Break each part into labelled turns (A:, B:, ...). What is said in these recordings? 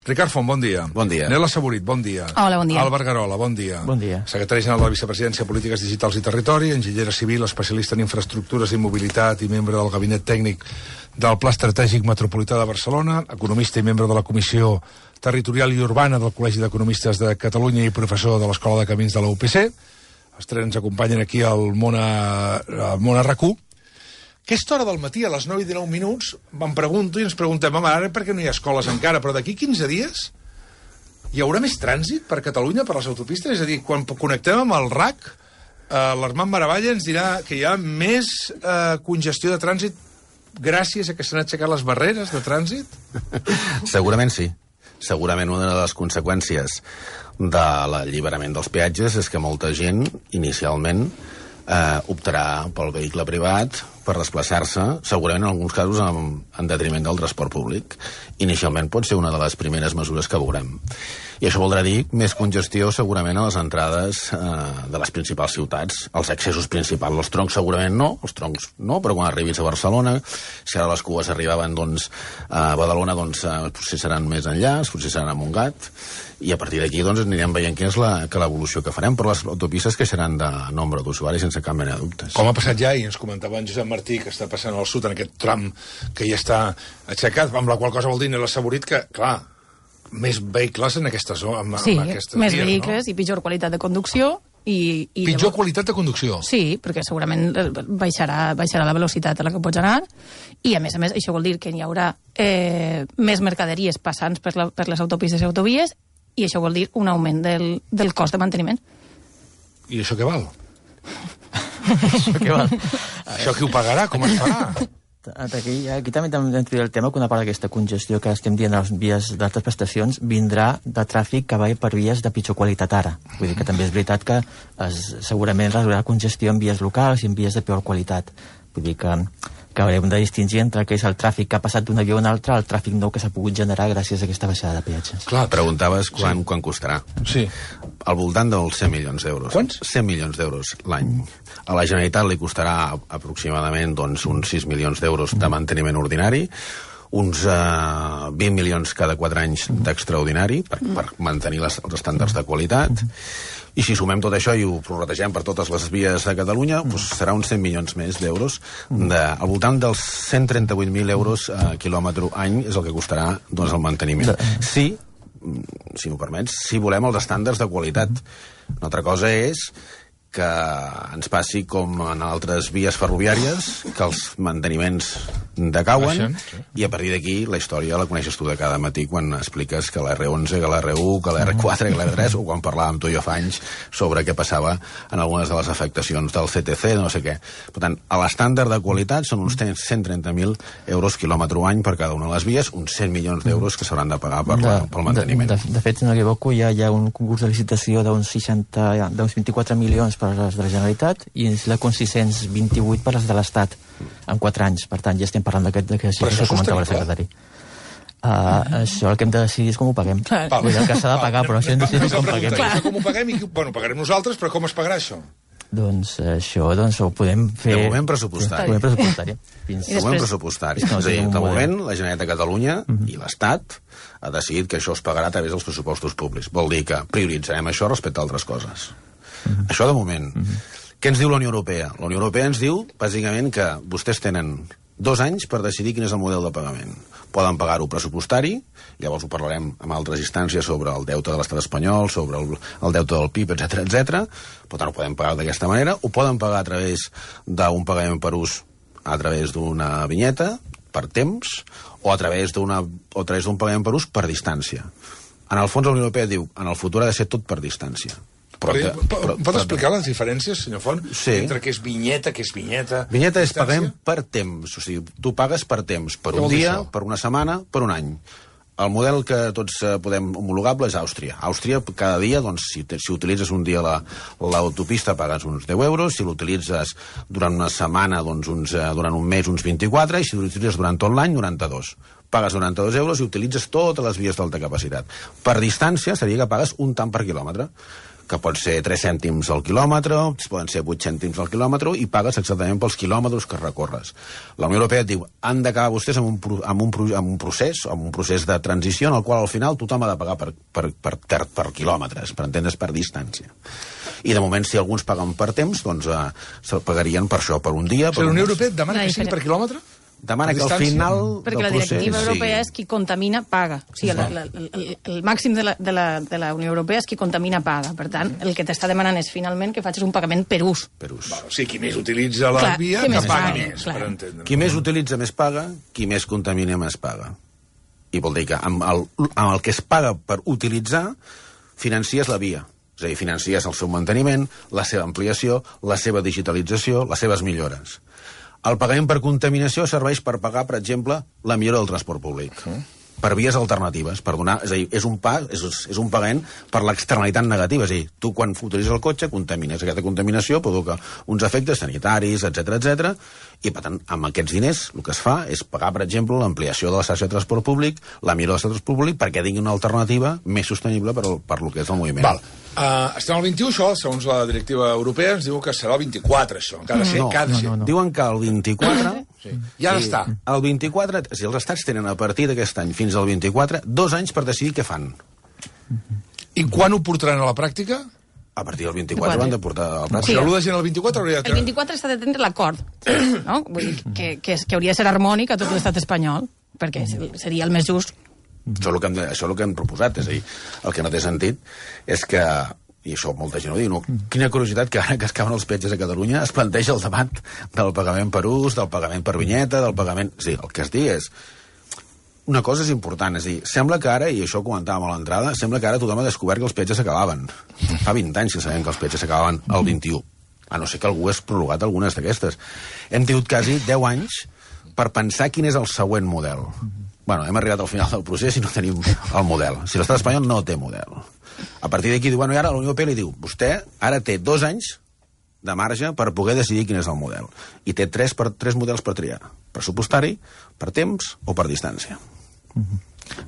A: Ricard Font, bon dia.
B: Bon dia.
A: Nela Saborit, bon dia.
C: Hola, bon dia.
A: Albert Garola, bon dia.
D: Bon dia.
A: Secretari general de la Vicepresidència, Polítiques Digitals i Territori, enginyera civil, especialista en infraestructures i mobilitat i membre del gabinet tècnic del Pla Estratègic Metropolità de Barcelona, economista i membre de la Comissió Territorial i Urbana del Col·legi d'Economistes de Catalunya i professor de l'Escola de Camins de la UPC. Els tres ens acompanyen aquí al món a RAC1. Aquesta hora del matí, a les 9:19, em pregunto i ens preguntem, home, ara per què no hi ha escoles encara, però d'aquí 15 dies hi haurà més trànsit per Catalunya, per les autopistes? És a dir, quan connectem amb el RAC, l'Armand Maravalla ens dirà que hi ha més congestió de trànsit gràcies a que s'han aixecat les barreres de trànsit?
B: Segurament sí. Segurament una de les conseqüències de l'alliberament dels peatges és que molta gent, inicialment, optarà pel vehicle privat per desplaçar-se, segurament en alguns casos en detriment del transport públic. Inicialment pot ser una de les primeres mesures que veurem. I això voldrà dir més congestió segurament a les entrades de les principals ciutats, els accessos principals. Els troncs segurament no, però quan arribis a Barcelona, si ara les cues arribaven a Badalona, potser seran més enllà, potser seran a Montgat, i a partir d'aquí anirem veient quina és l'evolució que farem, però les autopistes creixeran de nombre d'usuaris sense cap mena de dubtes.
A: Com ha passat ja, i ens comentava en Josep Martí, que està passant al sud en aquest tram que ja està aixecat, amb la qual cosa vol dir Nela Saborit que, clar, més vehicles en aquesta zona.
C: Sí, més vehicles, no? I pitjor qualitat de conducció.
A: Pitjor qualitat de conducció?
C: Sí, perquè segurament baixarà la velocitat a la que pots anar, i a més, això vol dir que hi haurà més mercaderies passant per les autopistes i autovies, i això vol dir un augment del cost de manteniment.
A: I això què val?
D: Això què val?
A: Això qui ho pagarà? Com es farà?
D: Aquí també hem de el tema que una part d'aquesta congestió que estem dient a les vies d'altres prestacions vindrà de tràfic que va per vies de pitjor qualitat ara. Vull dir que també és veritat que segurament reduirà congestió en vies locals i en vies de peor qualitat. Vull dir que haurem de distingir entre què és el tràfic que ha passat d'una via a una altra al tràfic nou que s'ha pogut generar gràcies a aquesta baixada de peatges.
B: Clar, preguntaves quan costarà.
A: Sí.
B: Al voltant dels 100 milions d'euros.
A: Quants?
B: 100 milions d'euros l'any. A la Generalitat li costarà aproximadament uns 6 milions d'euros de manteniment ordinari, uns 20 milions cada 4 anys d'extraordinari per mantenir els estàndards de qualitat. I si sumem tot això i ho prorrategem per totes les vies de Catalunya, serà uns 100 milions més d'euros. Al voltant dels 138.000 euros a quilòmetre any és el que costarà el manteniment. Si m'ho permets, si volem els estàndards de qualitat. Una altra cosa és que ens passi com en altres vies ferroviàries, que els manteniments decauen, i a partir d'aquí la història la coneixes tu de cada matí quan expliques que l'R11, que l'R1, que l'R4, que l'R3, o quan parlàvem tu i jo fa anys sobre què passava en algunes de les afectacions del CTC, de no sé què. Per tant, a l'estàndard de qualitat són uns 130.000 euros quilòmetre any per cada una de les vies, uns 100 milions d'euros que s'hauran de pagar pel manteniment.
D: De fet, si no m'equivoco, hi ha un concurs de licitació d'uns 24 milions per les de la Generalitat i la con 628 per les de l'Estat en 4 anys. Per tant, ja estem parlant d'aquesta xifra que comentava el secretari. Això el que hem de decidir és com ho paguem. Vull dir, el que s'ha de pagar, però això hem de decidir com ho paguem.
A: Com ho paguem? Bueno, pagarem nosaltres, però com es pagarà això?
D: Doncs això ho podem fer...
B: De moment pressupostari. De moment pressupostari. És a dir, de moment, la Generalitat de Catalunya i l'Estat ha decidit que això es pagarà a través dels pressupostos públics. Vol dir que prioritzarem això respecte a altres coses. Això de moment. Què ens diu la Unió Europea? La Unió Europea ens diu, bàsicament, que vostès tenen 2 anys per decidir quin és el model de pagament. Poden pagar-ho pressupostari, llavors ho parlarem amb altres instàncies sobre el deute de l'estat espanyol, sobre el deute del PIB, etc. Per tant, ho podem pagar d'aquesta manera, ho poden pagar a través d'un pagament per ús, a través d'una vinyeta, per temps, o a través d'un pagament per ús per distància. En el fons, la Unió Europea diu, en el futur ha de ser tot per distància.
A: Pot explicar les diferències, senyor Font?
B: Sí.
A: Entre què és vinyeta, què és vinyeta...
B: Vinyeta és pagament per temps, o sigui, tu pagues per temps, per un dia, per una setmana, per un any. El model que tots podem homologable és Àustria. Àustria, cada dia, si utilitzes un dia l'autopista, pagues uns 10 euros, si l'utilitzes durant una setmana, durant un mes, uns 24, i si l'utilitzes durant tot l'any, 92. pagues 92 euros i utilitzes totes les vies d'alta capacitat. Per distància seria que pagues un tant per quilòmetre, que pot ser 3 cèntims al quilòmetre, poden ser 8 cèntims al quilòmetre, i pagues exactament pels quilòmetres que recorres. La Unió Europea et diu, han d'acabar vostès amb un procés de transició en el qual al final tothom ha de pagar per quilòmetres, per entendre's, per distància. I de moment, si alguns paguen per temps, doncs se'l pagarien per això, per un dia.
A: La Unió Europea demana que sigui per quilòmetre?
B: Demana que al final
C: perquè la directiva europea és qui contamina paga. O sigui, el màxim de la Unió Europea és qui contamina paga. Per tant, el que t'està demanant és finalment que facis un pagament per ús.
A: O sigui, qui més utilitza la via, que pagui més, per entendre.
B: Qui més utilitza més paga, qui més contamina més paga. I vol dir que amb el que es paga per utilitzar, financies la via. És a dir, financies el seu manteniment, la seva ampliació, la seva digitalització, les seves millores. El pagament per contaminació serveix per pagar, per exemple, la millora del transport públic. Per vies alternatives, per donar... És a dir, és un pagament per l'externalitat negativa. És a dir, tu quan utilitzes el cotxe contamines. Aquesta contaminació provoca uns efectes sanitaris, etc. I, per tant, amb aquests diners el que es fa és pagar, per exemple, l'ampliació de la xarxa de transport públic, la millora del transport públic, perquè tingui una alternativa més sostenible per lo que és el moviment.
A: Val. Estem al 21, això, segons la directiva europea, ens diu que serà el 24, això.
B: No. Diuen que el 24...
A: Ja està.
B: El 24, si els estats tenen a partir d'aquest any fins al 24, 2 anys per decidir què fan.
A: I quan ho portaran a la pràctica?
B: A partir del 24 ho han de portar a la pràctica.
A: Si l'1 de gener del 24 hauria de...
C: El 24 s'ha de tindre l'acord, no? Vull dir que hauria de ser harmònic a tot l'estat espanyol, perquè seria el més just.
B: Això és el que hem proposat, és a dir, el que no té sentit és que, i això molta gent ho diu, quina curiositat que ara que es cauen els peatges a Catalunya es planteja el debat del pagament per ús, del pagament per vinyeta, del pagament... Sí, el que es diu és... Una cosa és important, és a dir, sembla que ara, i això ho comentàvem a l'entrada, sembla que ara tothom ha descobert que els peatges s'acabaven. Fa 20 anys que sabem que els peatges s'acabaven el 21, a no ser que algú hagués prorrogat algunes d'aquestes. Hem tingut quasi 10 anys per pensar quin és el següent model. Bueno, hem arribat al final del procés i no tenim el model. Si l'estat espanyol no té model. A partir d'aquí diu, bueno, i ara la Unió Europea li diu, vostè ara té 2 anys de marge per poder decidir quin és el model. I té 3 models per triar. Pressupostari, per temps o per distància.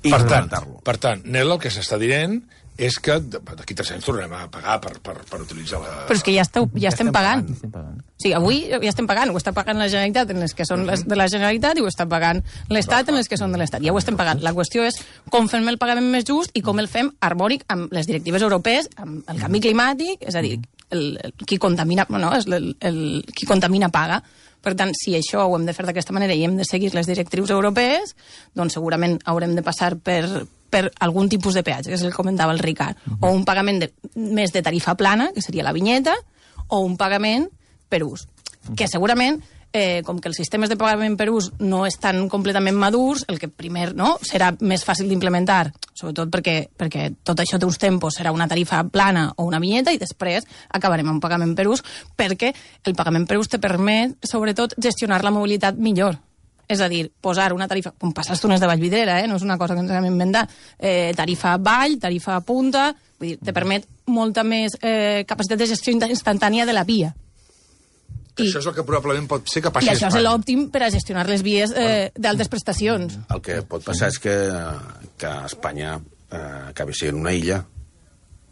A: I per tant, Nel, el que s'està dient és que d'aquí 3 anys tornarem a pagar per utilitzar la...
C: Però és que ja estem pagant. O sigui, avui ja estem pagant. Ho està pagant la Generalitat en les que són les de la Generalitat i ho està pagant l'Estat en les que són de l'Estat. Ja ho estem pagant. La qüestió és com fem el pagament més just i com el fem harmònic amb les directives europees, amb el canvi climàtic, és a dir, qui contamina paga. Per tant, si això ho hem de fer d'aquesta manera i hem de seguir les directrius europees, doncs segurament haurem de passar per algun tipus de peatge, que és el que comentava el Ricard, o un pagament més de tarifa plana, que seria la vinyeta, o un pagament per ús, que segurament, com que els sistemes de pagament per ús no estan completament madurs, el que primer serà més fàcil d'implementar, sobretot perquè tot això té uns tempos, serà una tarifa plana o una vinyeta, i després acabarem amb un pagament per ús, perquè el pagament per ús te permet, sobretot, gestionar la mobilitat millor. És a dir, posar una tarifa, com passa als túnels de Vallvidrera, no és una cosa que ens hem inventat, tarifa vall, tarifa punta, vull dir, te permet molta més capacitat de gestió instantània de la via.
A: Això és el que probablement pot ser que passi
C: a Espanya. I això és l'òptim per a gestionar les vies d'altes prestacions.
B: El que pot passar és que Espanya acabi sent una illa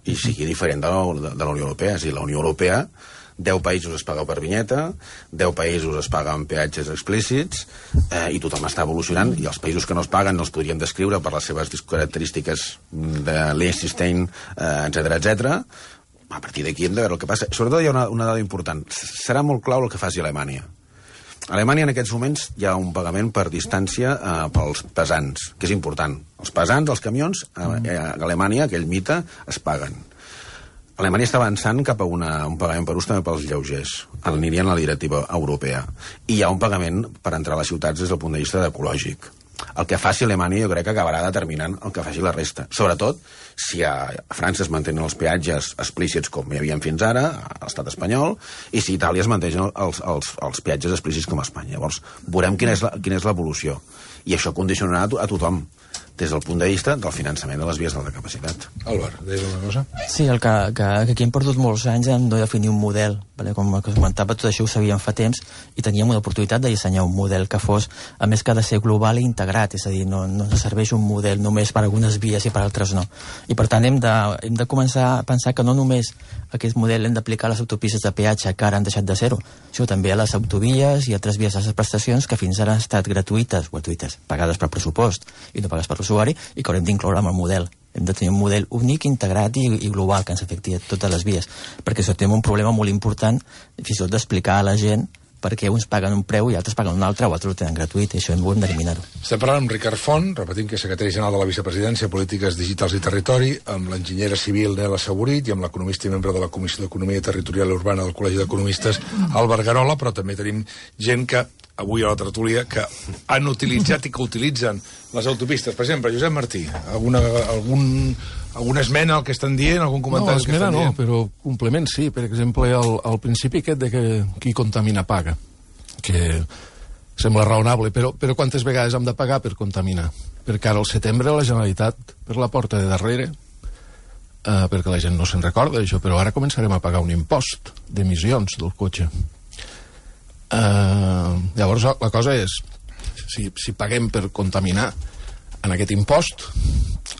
B: i sigui diferent de la Unió Europea. És a dir, la Unió Europea, 10 països es paga per vinyeta, 10 països es paguen peatges explícits, i tothom està evolucionant, i els països que no es paguen no els podríem descriure per les seves característiques de Liechtenstein, etc. A partir d'aquí hem de veure el que passa. Sobretot hi ha una dada important. Serà molt clau el que faci Alemanya. A Alemanya en aquests moments hi ha un pagament per distància pels pesants, que és important. Els pesants, els camions, a Alemanya, aquell mite, es paguen. Alemanya està avançant cap a un pagament per ús també pels lleugers. Anirien a la directiva europea. I hi ha un pagament per entrar a les ciutats des del punt de vista ecològic. El que faci Alemanya jo crec que acabarà determinant el que faci la resta. Sobretot si a França es mantenen els peatges explícits com hi havia fins ara, a l'estat espanyol, i si a Itàlia es mantenen els peatges explícits com a Espanya. Llavors, veurem quina és l'evolució. I això condicionarà a tothom. des del punt de vista del finançament de les vies d'alta capacitat.
A: Álvaro, deies una cosa?
D: Sí, que aquí hem perdut molts anys en no definir un model. Vale? Com comentava, tot això ho sabíem fa temps i teníem una oportunitat de dissenyar un model que fos, a més que ha de ser global i integrat, és a dir, no serveix un model només per algunes vies i per altres no. I per tant hem de començar a pensar que no només aquest model hem d'aplicar a les autopistes de peatge que ara han deixat de ser-ho, sinó també a les autovies i altres vies de prestacions que fins ara han estat gratuïtes, pagades per pressupost i no pagades per l'usuari, i que haurem d'incloure amb el model. Hem de tenir un model únic, integrat i global que ens afecti a totes les vies, perquè això té un problema molt important, fins i tot d'explicar a la gent perquè uns paguen un preu i altres paguen un altre o altres ho tenen gratuït, i això hem d'eliminar-ho.
A: Estem parlant amb Ricard Font, repetim que és secretari general de la Vicepresidència, Polítiques Digitals i Territori, amb l'enginyera civil Nela Saborit i amb l'economista i membre de la Comissió d'Economia Territorial i Urbana del Col·legi d'Economistes, Albert Garola, però també tenim gent que avui a la tertúlia que han utilitzat i que utilitzen les autopistes. Per exemple, Josep Martí, alguna esmena al que estan dient, algun comentari al que estan dient?
E: No, però complement sí. Per exemple, al principi aquest de que qui contamina paga, que sembla raonable, però quantes vegades hem de pagar per contaminar? Perquè ara al setembre la Generalitat, per la porta de darrere, perquè la gent no se'n recorda d'això, però ara començarem a pagar un impost d'emissions del cotxe. Llavors la cosa és, si paguem per contaminar en aquest impost,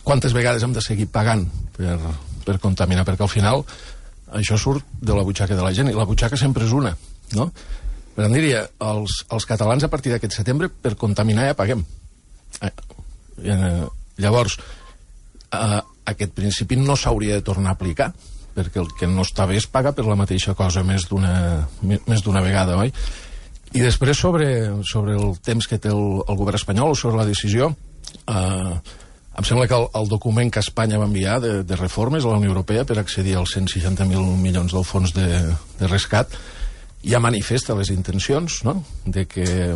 E: quantes vegades hem de seguir pagant per contaminar? Perquè al final això surt de la butxaca de la gent, i la butxaca sempre és una, no? Per tant, diria, els catalans a partir d'aquest setembre per contaminar ja paguem. Llavors, aquest principi no s'hauria de tornar a aplicar, perquè el que no està bé es paga per la mateixa cosa més d'una vegada, oi? I després sobre el temps que té el govern espanyol o sobre la decisió, em sembla que el document que Espanya va enviar de reformes a la Unió Europea per accedir als 160.000 milions del fons de rescat ja manifesta les intencions, no?, de que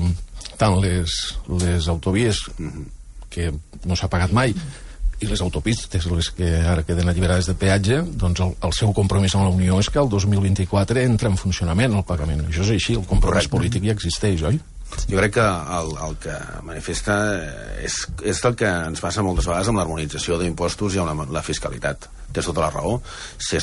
E: tant les autovies que no s'ha pagat mai i les autopistes, les que ara queden alliberades de peatge, doncs el seu compromís amb la Unió és que el 2024 entra en funcionament el pagament. Això és així, el compromís polític ja existeix, oi?
B: Jo crec que el que manifesta és el que ens passa moltes vegades amb l'harmonització d'impostos i amb la fiscalitat. Tens tota la raó. Si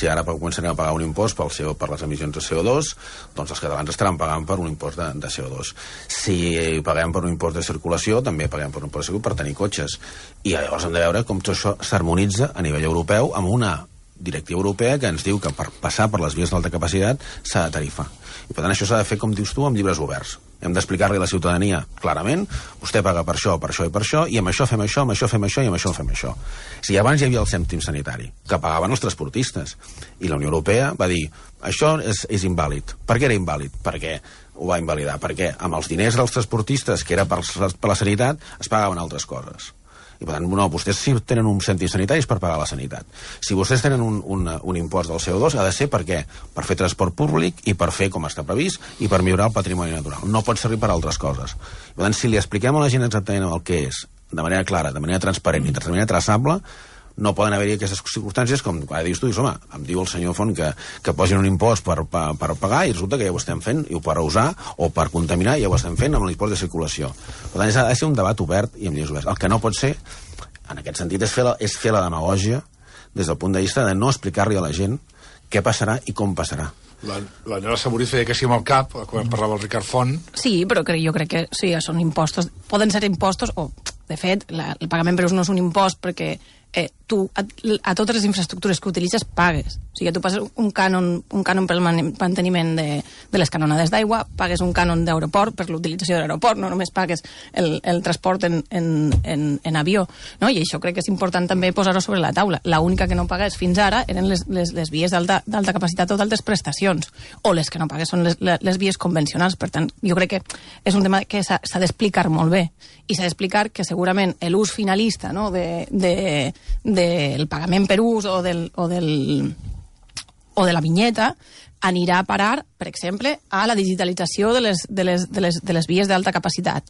B: ara començarem a pagar un impost per les emissions de CO2, doncs els catalans estaran pagant per un impost de CO2. Si paguem per un impost de circulació, també paguem per un impost de circulació per tenir cotxes. I llavors hem de veure com tot això s'harmonitza a nivell europeu amb una directiva europea que ens diu que per passar per les vies d'alta capacitat s'ha de tarifar. I per tant això s'ha de fer, com dius tu, amb llibres oberts. Hem d'explicar-li a la ciutadania clarament, vostè paga per això, per això i per això, i amb això fem això, amb això fem això i amb això fem això. Si abans hi havia el cèntim sanitari, que pagaven els transportistes, i la Unió Europea va dir, això és invàlid. Per què era invàlid? Perquè ho va invalidar. Perquè amb els diners dels transportistes, que era per la sanitat, es pagaven altres coses. I per tant, no, vostès sí tenen un cèntim sanitari per pagar la sanitat. Si vostès tenen un impost del CO2, ha de ser per què? Per fer transport públic i per fer com està previst i per millorar el patrimoni natural. No pot servir per altres coses. Per tant, si li expliquem a la gent exactament el que és, de manera clara, de manera transparent i de manera traçable, no poden haver-hi aquestes circumstàncies com ara dius tu, home, em diu el senyor Font que posin un impost per pagar i resulta que ja ho estem fent, i per usar o per contaminar ja ho estem fent amb l'impost de circulació. Per tant, ha de ser un debat obert i amb lleis oberts. El que no pot ser, en aquest sentit, és fer la demagògia des del punt de vista de no explicar-li a la gent què passarà i com passarà.
A: La Nela Saborit feia que sí amb el cap quan parlava el Ricard Font.
C: Sí, però jo crec que sí, són impostos, poden ser impostos o, de fet, el pagament per ús no és un impost perquè tu a totes les infraestructures que utilitzes pagues. O sigui, tu passes un cànon pel manteniment de les canonades d'aigua, pagues un cànon d'aeroport per l'utilització de l'aeroport, no només pagues el transport en avió, no? I això crec que és important també posar-ho sobre la taula. L'única que no pagues fins ara eren les vies d'alta capacitat o d'altes prestacions, o les que no pagues són les vies convencionals. Per tant, jo crec que és un tema que s'ha d'explicar molt bé, i s'ha d'explicar que segurament l'ús finalista, no?, del pagament per ús o de la vinyeta anirà a parar, per exemple, a la digitalització de les vies d'alta capacitat,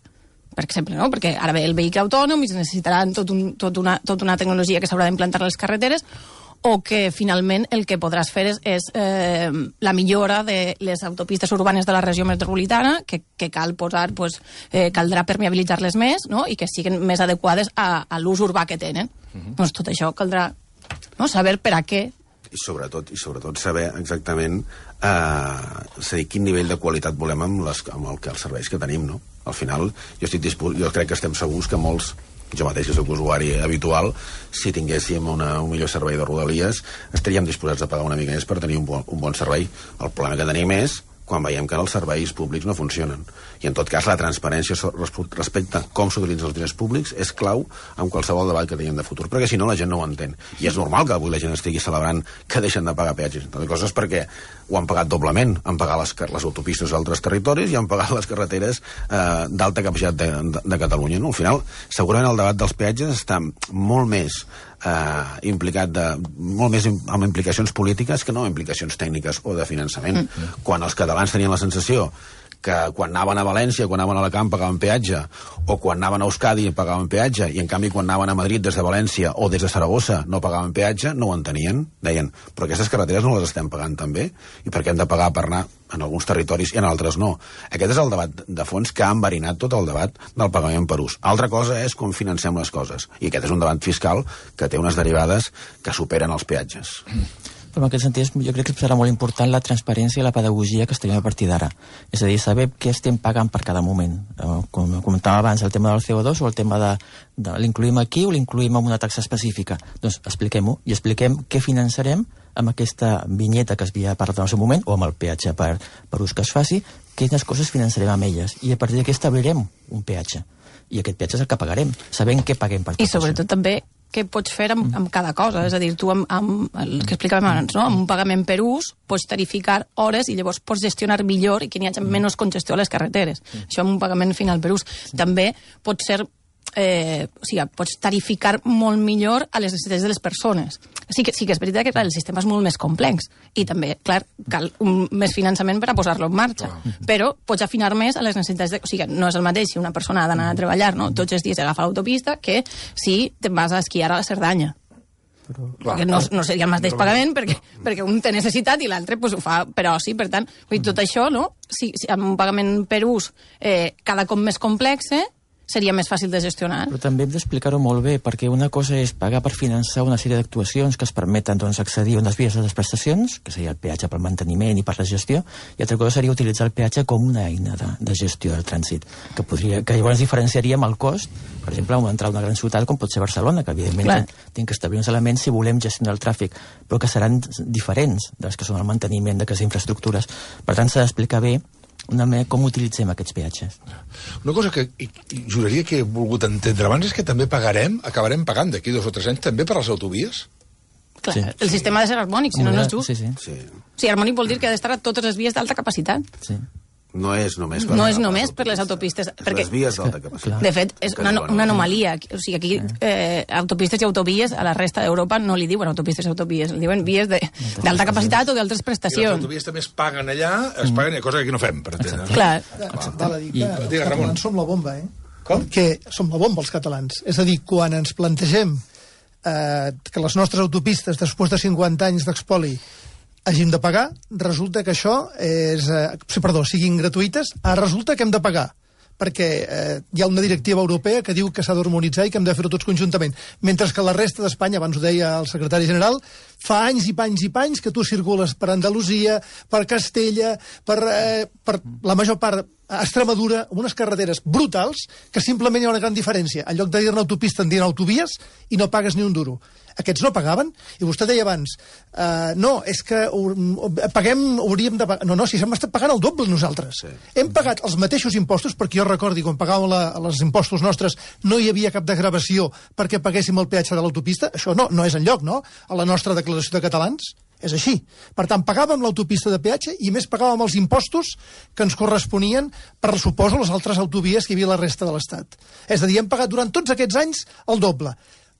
C: per exemple, no? Perquè ara ve el vehicle autònom i es necessitaran tota una tecnologia que s'haurà d'implantar a les carreteres, o que finalment el que podràs fer és la millora de les autopistes urbanes de la regió metropolitana, que cal posar, caldrà permeabilitzar-les més, no? I que siguin més adequades a l'ús urbà que tenen. Doncs tot això caldrà saber per a què.
B: I sobretot saber exactament quin nivell de qualitat volem amb els serveis que tenim, no? Al final, jo crec que estem segurs que molts, jo mateix que soc usuari habitual, si tinguéssim un millor servei de Rodalies, estaríem disposats a pagar una mica més per tenir un bon servei. El problema que tenim és quan veiem que els serveis públics no funcionen. I, en tot cas, la transparència respecte a com s'utilitzen els diners públics és clau en qualsevol debat que tinguem de futur, perquè si no la gent no ho entén. I és normal que avui la gent estigui celebrant que deixen de pagar peatges. Entre altres coses perquè ho han pagat doblement. Han pagat les autopistes d'altres territoris i han pagat les carreteres d'alta capacitat de Catalunya. No? Al final, segurament el debat dels peatges està molt més molt més amb implicacions polítiques que no amb implicacions tècniques o de finançament. Quan els catalans tenien la sensació que quan anaven a València, quan anaven a Alacant pagaven peatge, o quan anaven a Euskadi pagaven peatge, i en canvi quan anaven a Madrid des de València o des de Saragossa no pagaven peatge, no ho entenien. Deien, però aquestes carreteres no les estem pagant també? I per què hem de pagar per anar en alguns territoris i en altres no? Aquest és el debat de fons que ha enverinat tot el debat del pagament per ús. Altra cosa és com financem les coses. I aquest és un debat fiscal que té unes derivades que superen els peatges.
D: Però en aquest sentit, jo crec que serà molt important la transparència i la pedagogia que estem a partir d'ara. És a dir, saber què estem pagant per cada moment. Com comentàvem abans, el tema del CO2 o el tema de l'incluïm aquí o l'incluïm amb una taxa específica. Doncs expliquem-ho i expliquem què finançarem amb aquesta vinyeta que es havia parlat en el seu moment o amb el peatge per ús que es faci, quines coses finançarem amb elles. I a partir d'aquí establirem un peatge. I aquest peatge és el que pagarem, sabent què paguem per tot això.
C: I sobretot també què pots fer amb cada cosa. És a dir, tu amb el que explicàvem abans, no? Amb un pagament per ús pots tarificar hores i llavors pots gestionar millor i que n'hi hagi menys congestió a les carreteres. Això amb un pagament final per ús. També pot ser pots tarificar molt millor a les necessitats de les persones. Sí que és veritat que el sistema és molt més complex i també, clar, cal més finançament per a posar-lo en marxa, però pots afinar més a les necessitats no és el mateix si una persona ha d'anar a treballar, no? Tots els dies agafa l'autopista que si te'n vas a esquiar a la Cerdanya. Perquè no seria el mateix pagament perquè un té necessitat i l'altre ho fa per oci. Per tant, tot això, no? Si amb un pagament per ús cada cop més complex seria més fàcil de gestionar.
D: Però també hem d'explicar-ho molt bé, perquè una cosa és pagar per finançar una sèrie d'actuacions que es permeten accedir a unes vies de les prestacions, que seria el peatge pel manteniment i per la gestió, i altra cosa seria utilitzar el peatge com una eina de gestió del trànsit, que llavors diferenciaríem el cost, per exemple, entrar a una gran ciutat com pot ser Barcelona, que evidentment tenim que establir uns elements si volem gestionar el tràfic, però que seran diferents dels que són el manteniment d'aquestes infraestructures. Per tant, s'ha d'explicar bé com utilitzem aquests peatges.
A: Una cosa que juraria que he volgut entendre abans és que també acabarem pagant d'aquí 2 o 3 anys també per les autovies?
C: Clar, el sistema ha de ser harmònic, si no és just. Sí, harmònic vol dir que ha d'estar a totes les vies d'alta capacitat.
D: Sí.
B: No és només
C: per les autopistes. Perquè,
B: les vies d'alta capacitat.
C: De fet, és una anomalia. O sigui, aquí autopistes i autovies a la resta d'Europa no li diuen autopistes i autovies, li diuen vies d'alta capacitat o d'altres prestacions.
A: I les autovies també es paguen allà, cosa que aquí no fem, per entendre.
C: Clar.
F: Val a dir que els catalans som la bomba, Com? Que som la bomba, els catalans. És a dir, quan ens plantegem que les nostres autopistes, després de 50 anys d'espoli, hàgim de pagar, resulta que això siguin gratuïtes, resulta que hem de pagar, perquè hi ha una directiva europea que diu que s'ha d'harmonitzar i que hem de fer-ho tots conjuntament. Mentre que la resta d'Espanya, abans ho deia el secretari general, fa anys i panys que tu circules per Andalusia, per Castella, per la major part a Extremadura, amb unes carreteres brutals, que simplement hi ha una gran diferència. En lloc de dir-ne autopista, en diuen autovies, i no pagues ni un duro. Aquests no pagaven, i vostè deia abans, no, és que hauríem de pagar... No, si hem estat pagant el doble nosaltres. Sí. Hem pagat els mateixos impostos, perquè jo recordi, quan pagàvem els impostos nostres, no hi havia cap degravació perquè paguéssim el peatge de l'autopista. Això no és enlloc, no? A la nostra declaració de catalans. És així. Per tant, pagàvem l'autopista de peatge i més pagàvem els impostos que ens corresponien per, suposo, les altres autovies que hi havia a la resta de l'Estat. És a dir, hem pagat durant tots aquests anys el doble.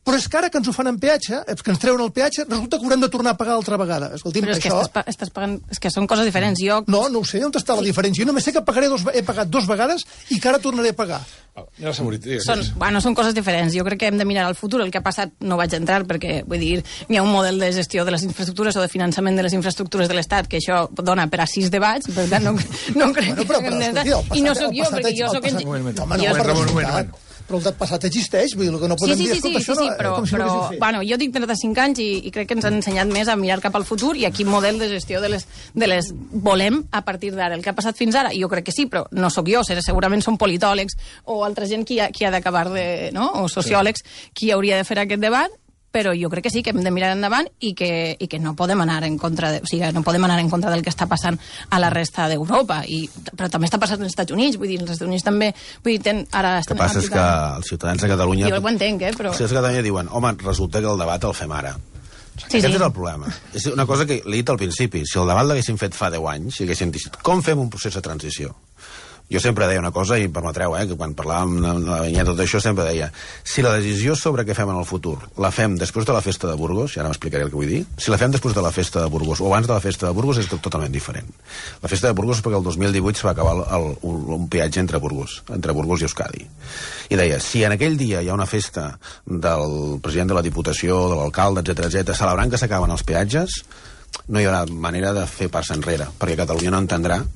F: Però és que ara que ens ho fan en peatge, que ens treuen el peatge, resulta que haurem de tornar a pagar altra vegada. Escolti'm,
C: però és que estàs pagant... És que són coses diferents.
F: No ho sé, on està la diferència? Jo només sé que he pagat 2 vegades i que ara tornaré a pagar.
C: Són coses diferents. Jo crec que hem de mirar al futur. El que ha passat no vaig entrar perquè, vull dir, hi ha un model de gestió de les infraestructures o de finançament de les infraestructures de l'Estat que això dona per a 6 debats, per tant, no crec que... I no sóc jo, perquè jo sóc...
F: Però el passat existeix, vull dir, el que no podem dir és tot això...
C: Sí, però jo tinc 35 anys i crec que ens han ensenyat més a mirar cap al futur i a quin model de gestió de les volem a partir d'ara. El que ha passat fins ara, jo crec que sí, però no sóc jo, segurament són politòlegs o altra gent qui ha d'acabar de... o sociòlegs qui hauria de fer aquest debat, però jo crec que sí, que hem de mirar endavant i que no podem anar en contra no podem anar en contra del que està passant a la resta d'Europa, però també està passant als Estats Units, vull dir, els Estats Units també ara estan...
B: El que passa és que els ciutadans de Catalunya...
C: Jo ho entenc, però...
B: Els ciutadans de Catalunya diuen, home, resulta que el debat el fem ara. Aquest és el problema. És una cosa que l'he dit al principi, si el debat l'haguéssim fet fa 10 anys, si haguéssim dit, com fem un procés de transició? Jo sempre deia una cosa, i em permetreu, que quan parlàvem de la vinyeta tot això, sempre deia, si la decisió sobre què fem en el futur la fem després de la festa de Burgos, i ara m'explicaré el que vull dir, si la fem després de la festa de Burgos o abans de la festa de Burgos és totalment diferent. La festa de Burgos és perquè el 2018 es va acabar un peatge entre Burgos i Euskadi. I deia, si en aquell dia hi ha una festa del president de la Diputació, de l'alcalde, etc celebrant que s'acaben els peatges, no hi haurà manera de fer pas enrere, perquè Catalunya no entendrà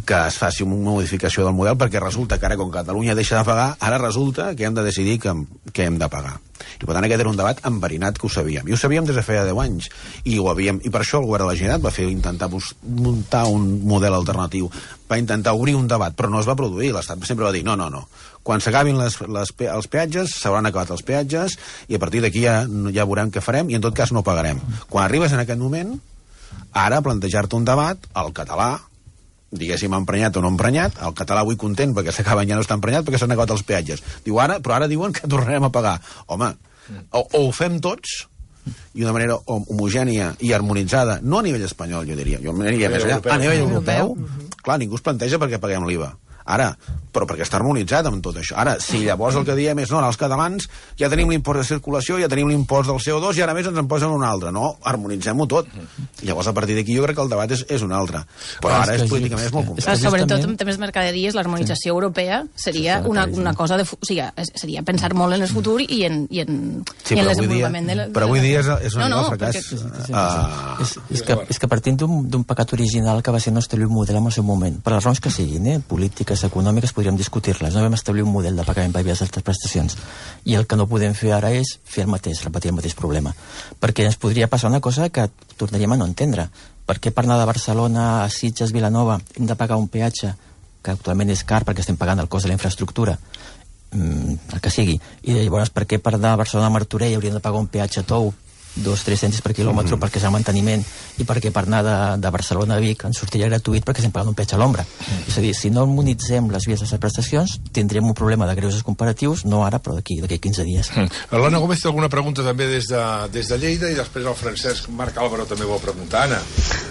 B: que es faci una modificació del model, perquè resulta que ara, com Catalunya deixa de pagar, ara resulta que hem de decidir què hem de pagar. I per tant aquest era un debat enverinat que ho sabíem. I ho sabíem des de feia 10 anys. I per això el govern de la Generalitat va intentar muntar un model alternatiu, va intentar obrir un debat, però no es va produir. L'Estat sempre va dir, no. Quan s'acabin els peatges, s'hauran acabat els peatges, i a partir d'aquí ja veurem què farem, i en tot cas no pagarem. Quan arribes en aquest moment, ara plantejar-te un debat, el català, diguéssim emprenyat o no emprenyat, el català avui content perquè s'acaben ja no està emprenyat perquè s'han acabat els peatges. Però ara diuen que tornarem a pagar. Home, o ho fem tots i d'una manera homogènia i harmonitzada, no a nivell espanyol, jo diria, a nivell europeu. Clar, ningú es planteja perquè paguem l'IVA. Ara, però perquè està harmonitzat amb tot això. Ara, si llavors el que diem és, no, els catalans ja tenim l'impost de circulació, ja tenim l'impost del CO2 i ara més ens en posen un altre. No, harmonitzem-ho tot. I llavors, a partir d'aquí, jo crec que el debat és un altre. Però ara políticament és molt complex.
C: Sobretot en temes mercaderies, l'harmonització europea seria una cosa de... O sigui, seria pensar molt en el futur i en el desenvolupament de...
B: Però avui dia és un fracàs.
D: És que partint d'un pecat original que va ser no establir un model en el seu moment, per les raons que siguin, polítiques, econòmiques, podríem discutir-les. No vam establir un model de pagament per vies d'altres prestacions. I el que no podem fer ara és fer el mateix, repetir el mateix problema. Perquè ens podria passar una cosa que tornaríem a no entendre. Per què per anar de Barcelona a Sitges, Vilanova, hem de pagar un peatge que actualment és car perquè estem pagant el cost de la infraestructura, el que sigui. I llavors, per què per anar de Barcelona a Martorell hauríem de pagar un peatge tou 2-3 cèntims per quilòmetre perquè és el manteniment, i perquè per anar de Barcelona a Vic ens sortiria gratuït perquè estem pagant un peatge a l'ombra. És a dir, si no harmonitzem les vies de les prestacions tindrem un problema de greuges comparatius, no ara però d'aquí 15 dies.
A: L'Anna Gómez té alguna pregunta també des de Lleida, i després el Francesc Marc Álvaro també vol preguntar. Anna.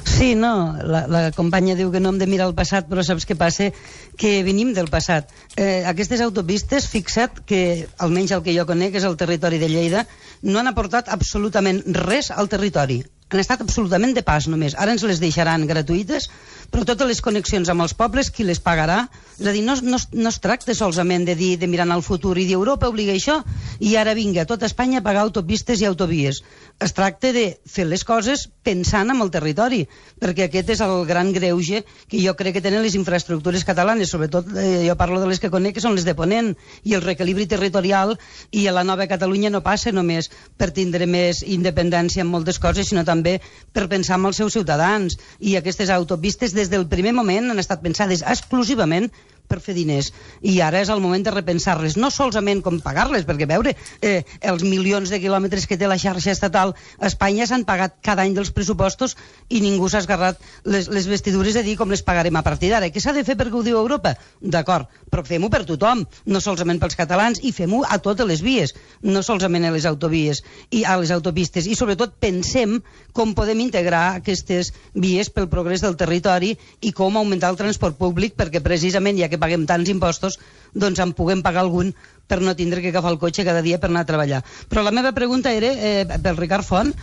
G: Sí, no, la companya diu que no hem de mirar el passat, però saps què passa? Que venim del passat. Aquestes autopistes, fixa't que, almenys el que jo conec, és el territori de Lleida, no han aportat absolutament res al territori. Han estat absolutament de pas només. Ara ens les deixaran gratuïtes, però totes les connexions amb els pobles, qui les pagarà? És a dir, no es tracta solament de dir, de mirar al futur i dir Europa obliga això, i ara vinga a tota Espanya a pagar autopistes i autovies. Es tracta de fer les coses pensant en el territori, perquè aquest és el gran greuge que jo crec que tenen les infraestructures catalanes, sobretot jo parlo de les que conec, que són les de Ponent, i el reequilibri territorial, i a la nova Catalunya no passa només per tindre més independència en moltes coses, sinó també per pensar en els seus ciutadans. I aquestes autopistes des del primer moment han estat pensades exclusivament per fer diners, i ara és el moment de repensar-les, no solament com pagar-les, perquè veure, els milions de quilòmetres que té la xarxa estatal a Espanya s'han pagat cada any dels pressupostos i ningú s'ha esgarrat les vestidures de dir com les pagarem a partir d'ara. Què s'ha de fer perquè ho diu Europa? D'acord, però fem-ho per tothom, no solament pels catalans, i fem-ho a totes les vies, no solament a les autovies i a les autopistes, i sobretot pensem com podem integrar aquestes vies pel progrés del territori i com augmentar el transport públic, perquè precisament hi ha que paguem tants impostos, doncs en puguem pagar algun per no tindre que agafar el cotxe cada dia per anar a treballar. Però la meva pregunta era, pel Ricard Font,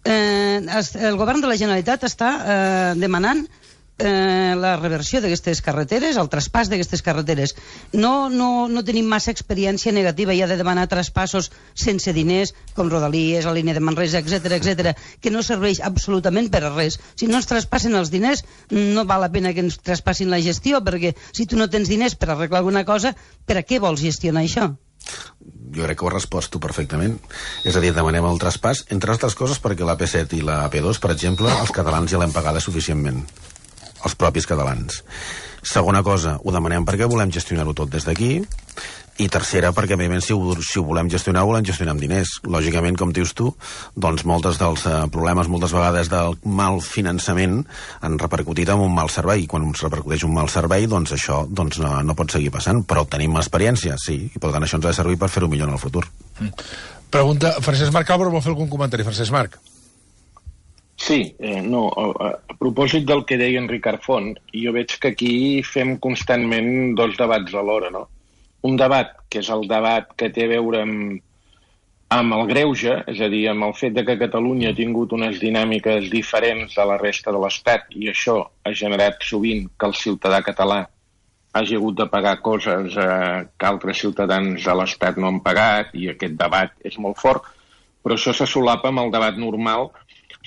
G: el govern de la Generalitat està demanant la reversió d'aquestes carreteres, el traspàs d'aquestes carreteres. No tenim massa experiència negativa ja de demanar traspassos sense diners, com Rodalies, la línia de Manresa, etc, que no serveix absolutament per a res. Si no ens traspassen els diners, no val la pena que ens traspassin la gestió, perquè si tu no tens diners per arreglar alguna cosa, per a què vols gestionar això?
B: Jo crec que ho has respost tu perfectament. És a dir, demanem el traspàs, entre altres coses perquè la P7 i la P2, per exemple, els catalans ja l'hem pagada suficientment, els propis catalans. Segona cosa, ho demanem perquè volem gestionar-ho tot des d'aquí, i tercera, perquè evidentment si ho volem gestionar amb diners. Lògicament, com dius tu, doncs molts dels problemes moltes vegades del mal finançament han repercutit en un mal servei, i quan ens repercuteix un mal servei, doncs això no pot seguir passant, però tenim experiència, sí, i per tant això ens ha de servir per fer-ho millor en el futur.
A: Pregunta, Francesc Marc Álvaro vol fer algun comentari. Francesc Marc.
H: Sí, a propòsit del que deia en Ricard Font, jo veig que aquí fem constantment dos debats alhora, no? Un debat, que és el debat que té a veure amb el greuge, és a dir, amb el fet de que Catalunya ha tingut unes dinàmiques diferents de la resta de l'Estat, i això ha generat sovint que el ciutadà català hagi hagut de pagar coses que altres ciutadans de l'Estat no han pagat, i aquest debat és molt fort, però això se solapa amb el debat normal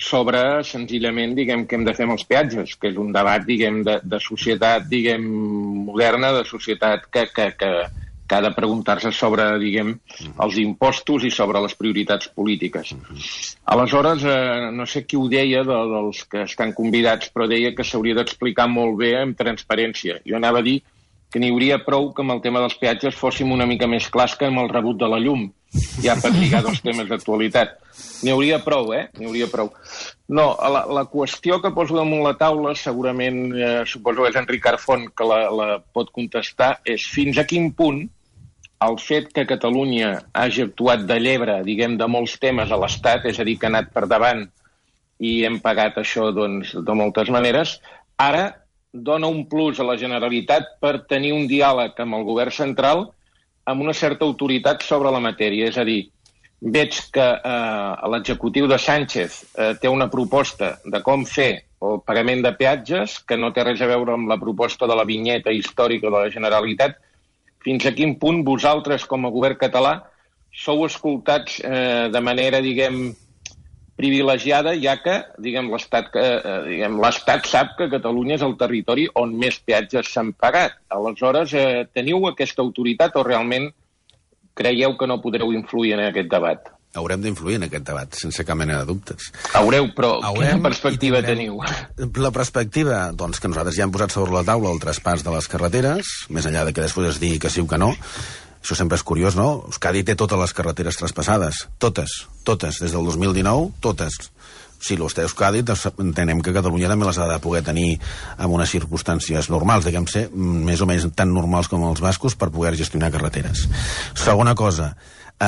H: sobre, senzillament, diguem, què hem de fer amb els peatges, que és un debat, diguem, de societat, diguem, moderna, de societat que ha de preguntar-se sobre, diguem, els impostos i sobre les prioritats polítiques. Aleshores, no sé qui ho deia dels que estan convidats, però deia que s'hauria d'explicar molt bé amb transparència. Jo anava a dir que n'hi hauria prou que amb el tema dels peatges fóssim una mica més clars que amb el rebut de la llum, ja per lligar dos temes d'actualitat. N'hi hauria prou, N'hi hauria prou. No, la qüestió que poso damunt la taula, segurament, suposo que és en Ricard Font que la pot contestar, és fins a quin punt el fet que Catalunya hagi actuat de llebre, diguem, de molts temes a l'Estat, és a dir, que ha anat per davant i hem pagat això, doncs, de moltes maneres, ara dona un plus a la Generalitat per tenir un diàleg amb el govern central amb una certa autoritat sobre la matèria. És a dir, veig que l'executiu de Sánchez té una proposta de com fer el pagament de peatges que no té res a veure amb la proposta de la vinyeta històrica de la Generalitat. Fins a quin punt vosaltres, com a govern català, sou escoltats de manera, diguem, privilegiada, ja que, diguem, l'Estat sap que Catalunya és el territori on més peatges s'han pagat. Aleshores, teniu aquesta autoritat o realment creieu que no podreu influir en aquest debat?
B: Haurem d'influir en aquest debat, sense cap mena de dubtes.
H: Haureu, però quina perspectiva teniu?
B: La perspectiva, doncs, que nosaltres ja hem posat sobre la taula el traspàs de les carreteres, més enllà de que després es digui que sí o que no. Això sempre és curiós, no? Euskadi té totes les carreteres traspassades. Totes. Des del 2019, totes. Si les té Euskadi, entenem que Catalunya també les ha de poder tenir en unes circumstàncies normals, diguem ser, més o menys tan normals com els bascos, per poder gestionar carreteres. Segona cosa,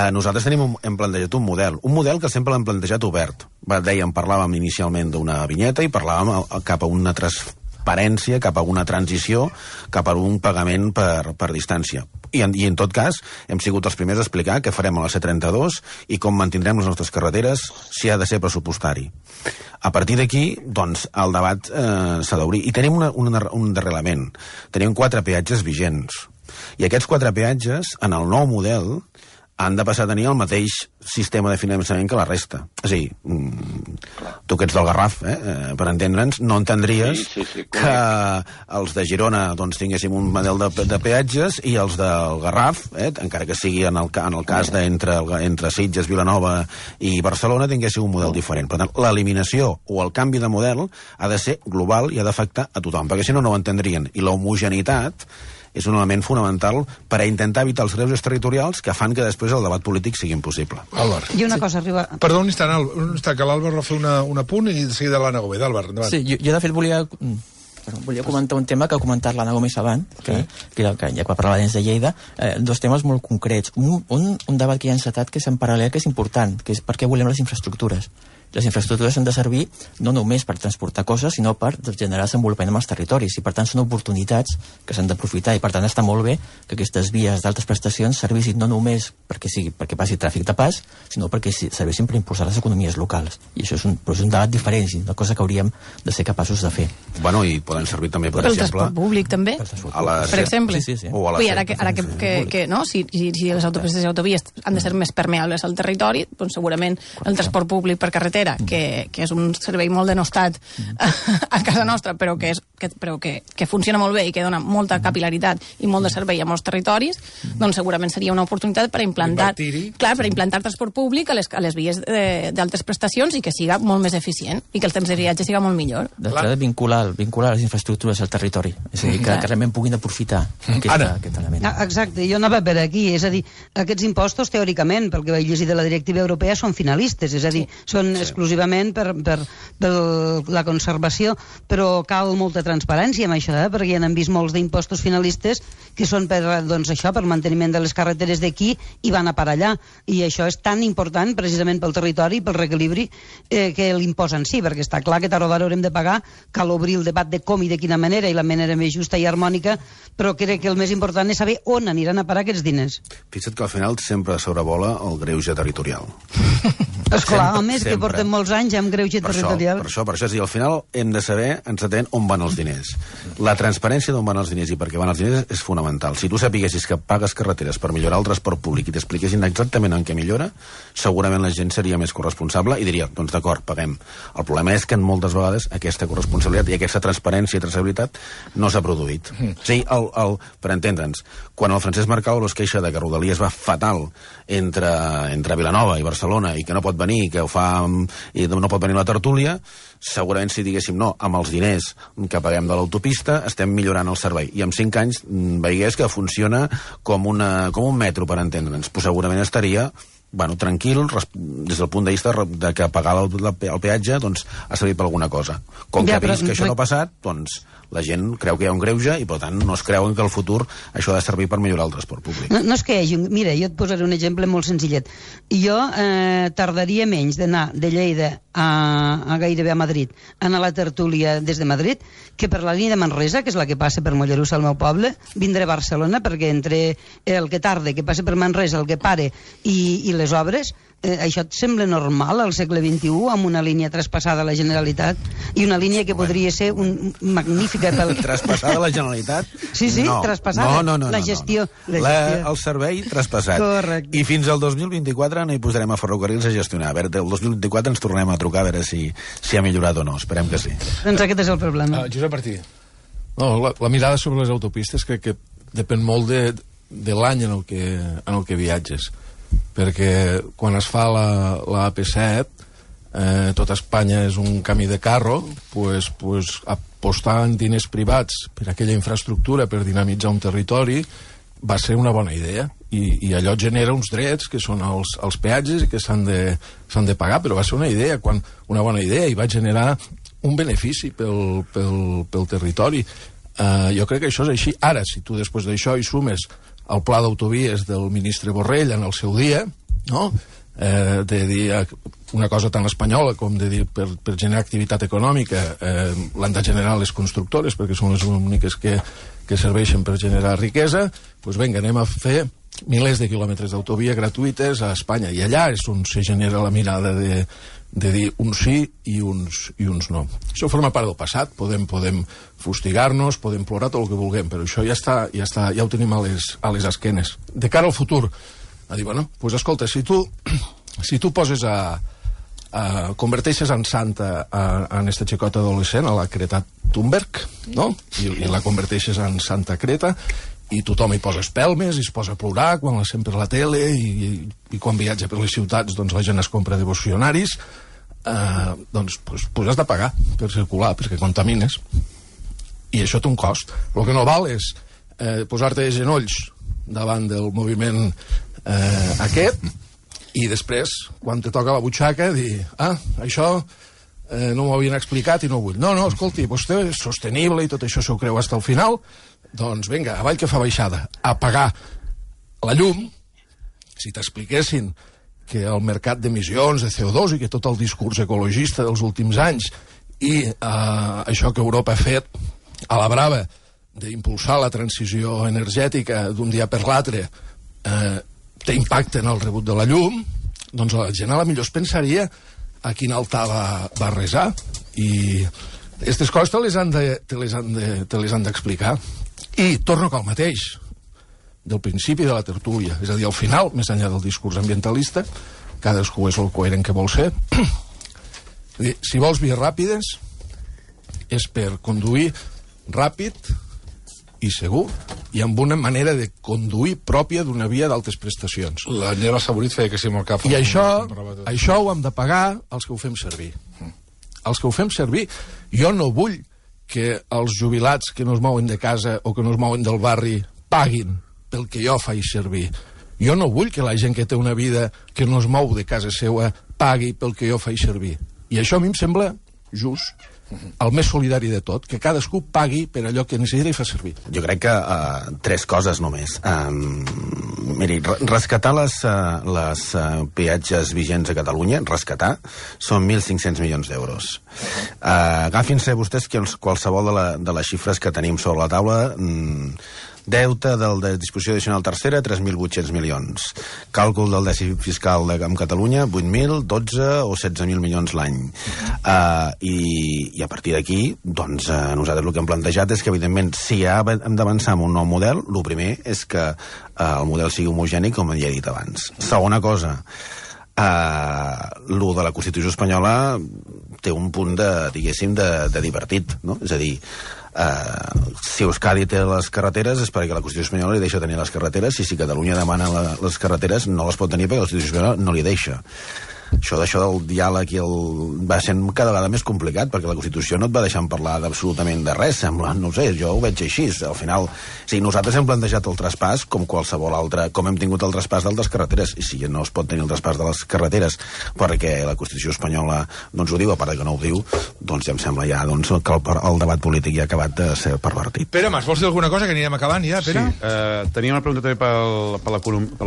B: nosaltres hem plantejat un model que sempre l'hem plantejat obert. Parlàvem inicialment d'una vinyeta i parlàvem cap a una transparència, cap a una transició, cap a un pagament per distància. I en tot cas, hem sigut els primers a explicar què farem a la C32 i com mantindrem les nostres carreteres si ha de ser pressupostari. A partir d'aquí, doncs, el debat s'ha d'obrir. I tenim un darrer element. Tenim 4 peatges vigents. I aquests 4 peatges, en el nou model, han de passar a tenir el mateix sistema de finançament que la resta. És a dir, tu que ets del Garraf, per entendre'ns, no entendries que els de Girona doncs, tinguéssim un model de peatges i els del Garraf, encara que sigui en el cas entre Sitges, Vilanova i Barcelona, tinguéssim un model diferent. Per tant, l'eliminació o el canvi de model ha de ser global i ha d'afectar a tothom, perquè si no, no ho entendrien. I l'homogeneïtat és un element fonamental per a intentar evitar els greuges territorials que fan que després el debat polític sigui impossible.
A: Àlvar.
G: I una cosa arriba...
A: Perdó, un instant, que l'Àlvar va fer un apunt i de seguida l'Anna Gómez. Àlvar, endavant.
D: Sí, jo de fet volia comentar un tema que ha comentat l'Anna Gómez abans, que ja quan parlava de Lleida, dos temes molt concrets. Un debat que hi ha encetat que és en paral·lel, que és important, que és per què volem les infraestructures. Les infraestructures han de servir no només per transportar coses, sinó per generar desenvolupament en els territoris, i per tant són oportunitats que s'han d'aprofitar, i per tant està molt bé que aquestes vies d'altes prestacions servissin no només perquè passi tràfic de pas, sinó perquè servissin per impulsar les economies locals. I això és un debat diferent, una cosa que hauríem de ser capaços de fer.
B: Bueno, i poden servir també, per exemple...
C: El transport públic, també, per exemple.
D: Sí.
C: Ui, ara que no, si les autopistes i autovies han de ser més permeables al territori, doncs segurament el transport públic per carretera, que és un servei molt denostat a casa nostra, però que funciona molt bé i que dona molta capilaritat i molt de servei a molts territoris, doncs segurament seria una oportunitat per implantar transport públic a les vies d'altes prestacions i que siga molt més eficient i que el temps de viatge siga molt millor.
D: D'entrada, vincular les infraestructures al territori, és a dir, que realment puguin aprofitar aquest element.
G: Exacte, jo anava per aquí, és a dir, aquests impostos, teòricament, pel que vaig llegir de la directiva europea, són finalistes, és a dir, són exclusivament per la conservació, però cal molta transparència amb això, perquè ja n'hem vist molts d'impostos finalistes que són per manteniment de les carreteres d'aquí i van a parar allà, i això és tan important precisament pel territori, pel reequilibri, que l'impost en si, perquè està clar que tard o d'hora haurem de pagar, cal obrir el debat de com i de quina manera, i la manera més justa i harmònica, però crec que el més important és saber on aniran a parar aquests diners.
B: Fixa't que al final sempre sobrevola el greuge territorial.
G: Esclar, a més que portem molts anys amb greuge territorial.
B: Per això, és a dir, al final hem de saber exactament on van els diners. La transparència d'on van els diners i per què van els diners és fonamental. Si tu sapiguessis que pagues carreteres per millorar el transport públic i t'expliquessin exactament en què millora, segurament la gent seria més corresponsable i diria, doncs d'acord, paguem. El problema és que moltes vegades aquesta corresponsabilitat i aquesta transparència i traçabilitat no s'ha produït. O sigui, per entendre'ns, quan el Francesc Mercadal es queixa de que Rodalies va fatal entre Vilanova i Barcelona i que no pot venir, que ho fa i no pot venir la tertúlia, segurament si diguéssim no, amb els diners que paguem de l'autopista estem millorant el servei, i en 5 anys veiés que funciona com un metro, per entendre'ns, però segurament estaria tranquil, des del punt de vista de que pagar el peatge doncs ha servit per alguna cosa. Com que ha vist que això no ha passat, doncs la gent creu que hi ha un greuge i per tant no es creuen que al futur això ha de servir per millorar el transport públic.
G: No és que hi hagi... Mira, jo et posaré un exemple molt senzillet. Jo tardaria menys d'anar de Lleida a gairebé a Madrid, anar a la tertúlia des de Madrid, que per la línia de Manresa, que és la que passa per Mollerussa, al meu poble, vindré a Barcelona, perquè entre el que tarda, que passa per Manresa, el que pare i les obres, això et sembla normal al segle XXI, amb una línia traspassada a la Generalitat i una línia que podria ser magnífica pel...
B: Traspassada a la Generalitat?
G: Sí, traspassada. No. La gestió.
B: El servei traspassat.
G: Correcte.
B: I fins al 2024 no hi posarem a ferrocarrils a gestionar. A veure, el 2024 ens tornem a trucar a veure si ha millorat o no. Esperem que sí.
G: Doncs aquest és el problema.
A: Josep Martí.
E: No, la mirada sobre les autopistes crec que depèn molt de l'any en el que viatges, perquè quan es fa la AP7 tot Espanya és un camí de carro, pues apostar en diners privats per aquella infraestructura per dinamitzar un territori va ser una bona idea, i allò genera uns drets que són els peatges i que s'han de pagar, però va ser una bona idea i va generar un benefici pel territori. Jo crec que això és així. Ara, si tu després d'això hi sumes el pla d'autovies del ministre Borrell en el seu dia, no? De dir una cosa tan espanyola com de dir per generar activitat econòmica l'han de generar les constructores perquè són les úniques que serveixen per generar riquesa, doncs vinga, anem a fer milers de quilòmetres d'autovia gratuïtes a Espanya, i allà és on se genera la mirada de dir uns sí i uns no. Això forma part del passat, podem fustigar-nos, podem plorar tot el que vulguem, però això ja ho tenim a les esquenes. De cara al futur, a dir, bueno, doncs escolta, si tu poses converteixes en santa en esta xicota adolescent, a la Greta Thunberg, no? I la converteixes en Santa Greta, i tothom hi posa espelmes i es posa a plorar quan la sent per la tele i quan viatja per les ciutats doncs la gent es compra devocionaris, doncs has de pagar per circular perquè contamines, i això té un cost. El que no val és posar-te de genolls davant del moviment aquest i després, quan te toca la butxaca, dir, això no m'ho havien explicat i no vull. No, escolti, vostè és sostenible i tot això s'ho creu fins al final, doncs vinga, avall que fa baixada. A pagar la llum, si t'expliquessin que el mercat d'emissions de CO2 i que tot el discurs ecologista dels últims anys i això que Europa ha fet a la brava d'impulsar la transició energètica d'un dia per l'altre té impacte en el rebut de la llum, doncs la gent a la millor es pensaria a quin altar va resar. I aquestes coses te les han d'explicar. I torno al mateix, del principi de la tertúlia, és a dir, al final, més enllà del discurs ambientalista, cadascú és el coherent que vol ser. Si vols vies ràpides, és per conduir ràpid i segur, i amb una manera de conduir pròpia d'una via d'altes prestacions.
A: La Nela Saborit feia que sí amb el cap.
E: I això ho hem de pagar els que ho fem servir. Els que ho fem servir. Jo no vull que els jubilats que no es mouen de casa o que no es mouen del barri paguin pel que jo faig servir. Jo no vull que la gent que té una vida que no es mou de casa seva pagui pel que jo faig servir. I això a mi em sembla just, el més solidari de tot, que cadascú pagui per allò que necessita i fa servir.
B: Jo crec que 3 coses només. Miri, rescatar les peatges vigents a Catalunya, rescatar, són 1.500 milions d'euros. Agafin-se vostès qualsevol de les xifres que tenim sobre la taula. Deute de disposició addicional tercera, 3.800 milions. Càlcul del dèficit fiscal en Catalunya, 8.000, 12 o 16.000 milions l'any. I a partir d'aquí, doncs, nosaltres el que hem plantejat és que, evidentment, si hem d'avançar en un nou model, el primer és que el model sigui homogènic, com ja he dit abans. Segona cosa, lo de la Constitució espanyola té un punt diguéssim, de divertit, no? És a dir, si Euskadi té les carreteres és perquè la Constitució espanyola li deixa tenir les carreteres, i si Catalunya demana les carreteres no les pot tenir perquè la Constitució espanyola no li deixa. Això del diàleg va sent cada vegada més complicat, perquè la Constitució no et va deixant parlar d'absolutament de res, sembla, no ho sé, jo ho veig així. Al final, sí, nosaltres hem plantejat el traspàs com qualsevol altre, com hem tingut el traspàs d'altres carreteres, i si no es pot tenir el traspàs de les carreteres perquè la Constitució espanyola no ens ho diu, a part que no ho diu, doncs ja em sembla que el debat polític ja ha acabat de ser pervertit.
A: Pere Mas, vols dir alguna cosa, que anirem acabant ja, Pere?
I: Sí, tenia una pregunta també per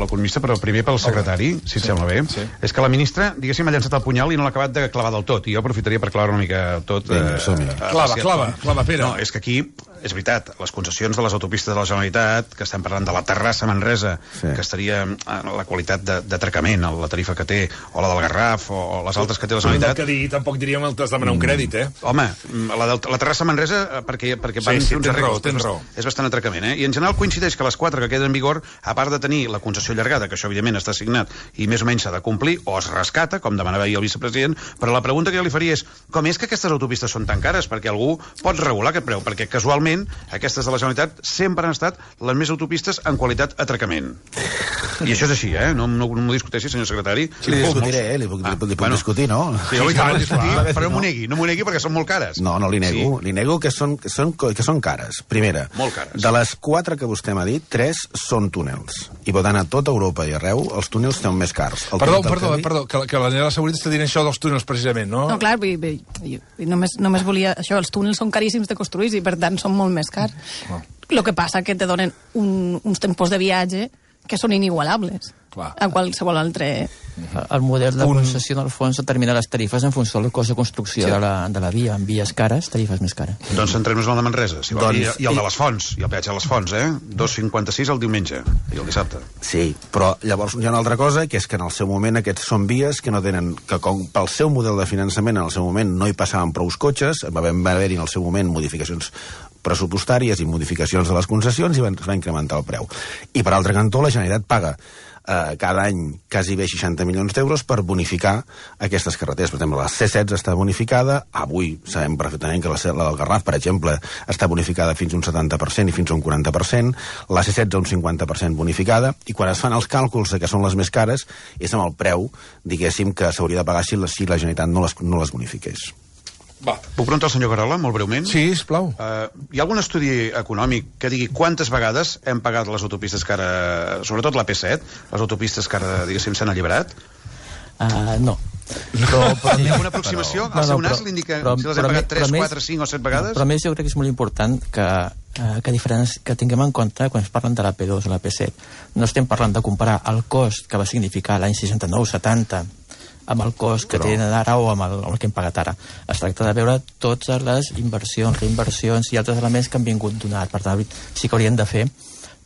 I: l'economista, però primer pel secretari, si et sembla bé. És que la ministra, diguéssim, ha llançat el punyal i no l'ha acabat de clavar del tot, i jo aprofitaria per clavar una mica tot.
A: Clava, Pere.
I: No, és que aquí, és veritat, les concessions de les autopistes de la Generalitat, que estem parlant de la Terrassa-Manresa, que estaria la qualitat d'atracament, la tarifa que té, o la del Garraf, o les altres que té la Generalitat...
A: Tampoc diríem el de demanar un crèdit,
I: Home, la Terrassa-Manresa, perquè van fer uns arreglos,
A: tens raó.
I: És bastant atracament, I en general coincideix que les 4 que queden en vigor, a part de tenir la concessió allargada, que això evidentment està assignat i més o menys s'ha de complir, o es rescata, com demanava ahir el vicepresident, però la pregunta que jo li faria és com és que aquestes autopistes són tan cares? Perquè algú pot regular aquest preu, perquè casualment aquestes de la Generalitat sempre han estat les més autopistes en qualitat atracament. I això és així, No m'ho discuteixi, senyor secretari.
B: Sí, li discutiré, li puc discutir, no?
I: Sí, però no m'ho negui perquè són molt cares.
B: No, li nego. Li nego que són cares. Primera, de les 4 que vostè m'ha dit, 3 són túnels. I per tant, a tota Europa i arreu, els túnels són més cars.
A: Perdó, que la Nela Saborit està dient això dels túnels, precisament, no?
C: No, clar, només volia... Això, els túnels són caríssims de construir i, per tant, són molt més cars. El que passa que te donen uns tempos de viatge que són inigualables a qualsevol altre...
D: El model de concessió, en el fons, determina les tarifes en funció del cost de construcció de la via. En vies cares, tarifes més cares.
I: Doncs centrem-nos en el de Manresa, si vol. I el de les Fonts, i el peatge de les Fonts, 2,56 el diumenge i el dissabte.
B: Sí, però llavors hi ha una altra cosa, que és que en el seu moment aquests són vies que no tenen... que com pel seu model de finançament en el seu moment no hi passaven prous cotxes, va haver-hi en el seu moment modificacions pressupostàries i modificacions de les concessions i va incrementar el preu. I per altre cantó, la Generalitat paga cada any quasi bé 60 milions d'euros per bonificar aquestes carreteres. Per exemple, la C16 està bonificada, avui sabem perfectament que la del Garraf, per exemple, està bonificada fins a un 70% i fins a un 40%, la C16 un 50% bonificada, i quan es fan els càlculs de que són les més cares, és amb el preu, diguéssim, que s'hauria de pagar si la Generalitat no les bonifiqués.
I: Puc preguntar al senyor Carola, molt breument?
A: Sí, sisplau.
I: Hi ha algun estudi econòmic que digui quantes vegades hem pagat les autopistes que ara, sobretot la P7, les autopistes que ara, diguéssim, s'han alliberat?
D: No.
I: Però hi ha una aproximació? El seu nas l'indica si les hem pagat 3, 4, 5 o 7 vegades?
D: Però a més jo crec que és molt important que que tinguem en compte quan es parlen de la P2 o la P7. No estem parlant de comparar el cost que va significar l'any 69-70 amb el cost que tenen ara o amb el que hem pagat ara. Es tracta de veure totes les inversions, reinversions i altres elements que han vingut donat. Per tant, sí que haurien de fer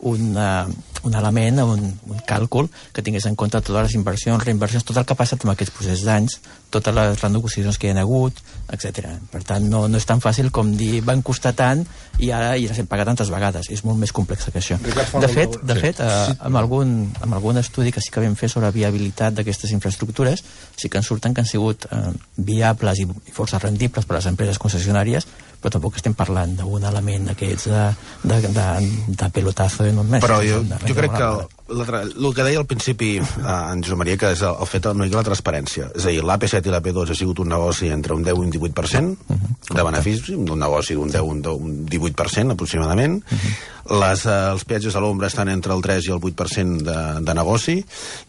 D: un element, un càlcul que tingués en compte totes les inversions, reinversions, tot el que ha passat en aquests processos d'anys, totes les renegociacions que hi ha hagut, etc. Per tant, no és tan fàcil com dir van costar tant i ara ja les hem pagat tantes vegades. És molt més complex que això. De fet, amb algun estudi que sí que vam fer sobre viabilitat d'aquestes infraestructures, sí que en surten que han sigut viables i força rendibles per a les empreses concessionàries, però tampoc estem parlant d'un element d'aquests de pelotazo enorme.
B: Però jo crec que el que deia al principi en Josep Maria, que és el fet una mica la transparència. És a dir, l'AP7 i l'AP2 ha sigut un negoci entre un 10 i un 18% de benefici, un negoci d'un 10 i un 18% aproximadament. Els peatges a l'ombra estan entre el 3 i el 8% de negoci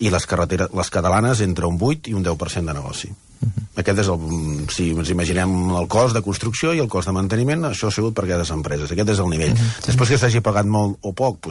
B: i les catalanes entre un 8 i un 10% de negoci. Aquest és si ens imaginem el cost de construcció i el cost de manteniment, això ha sigut per aquestes empreses, aquest és el nivell. Després que s'hagi pagat molt o poc,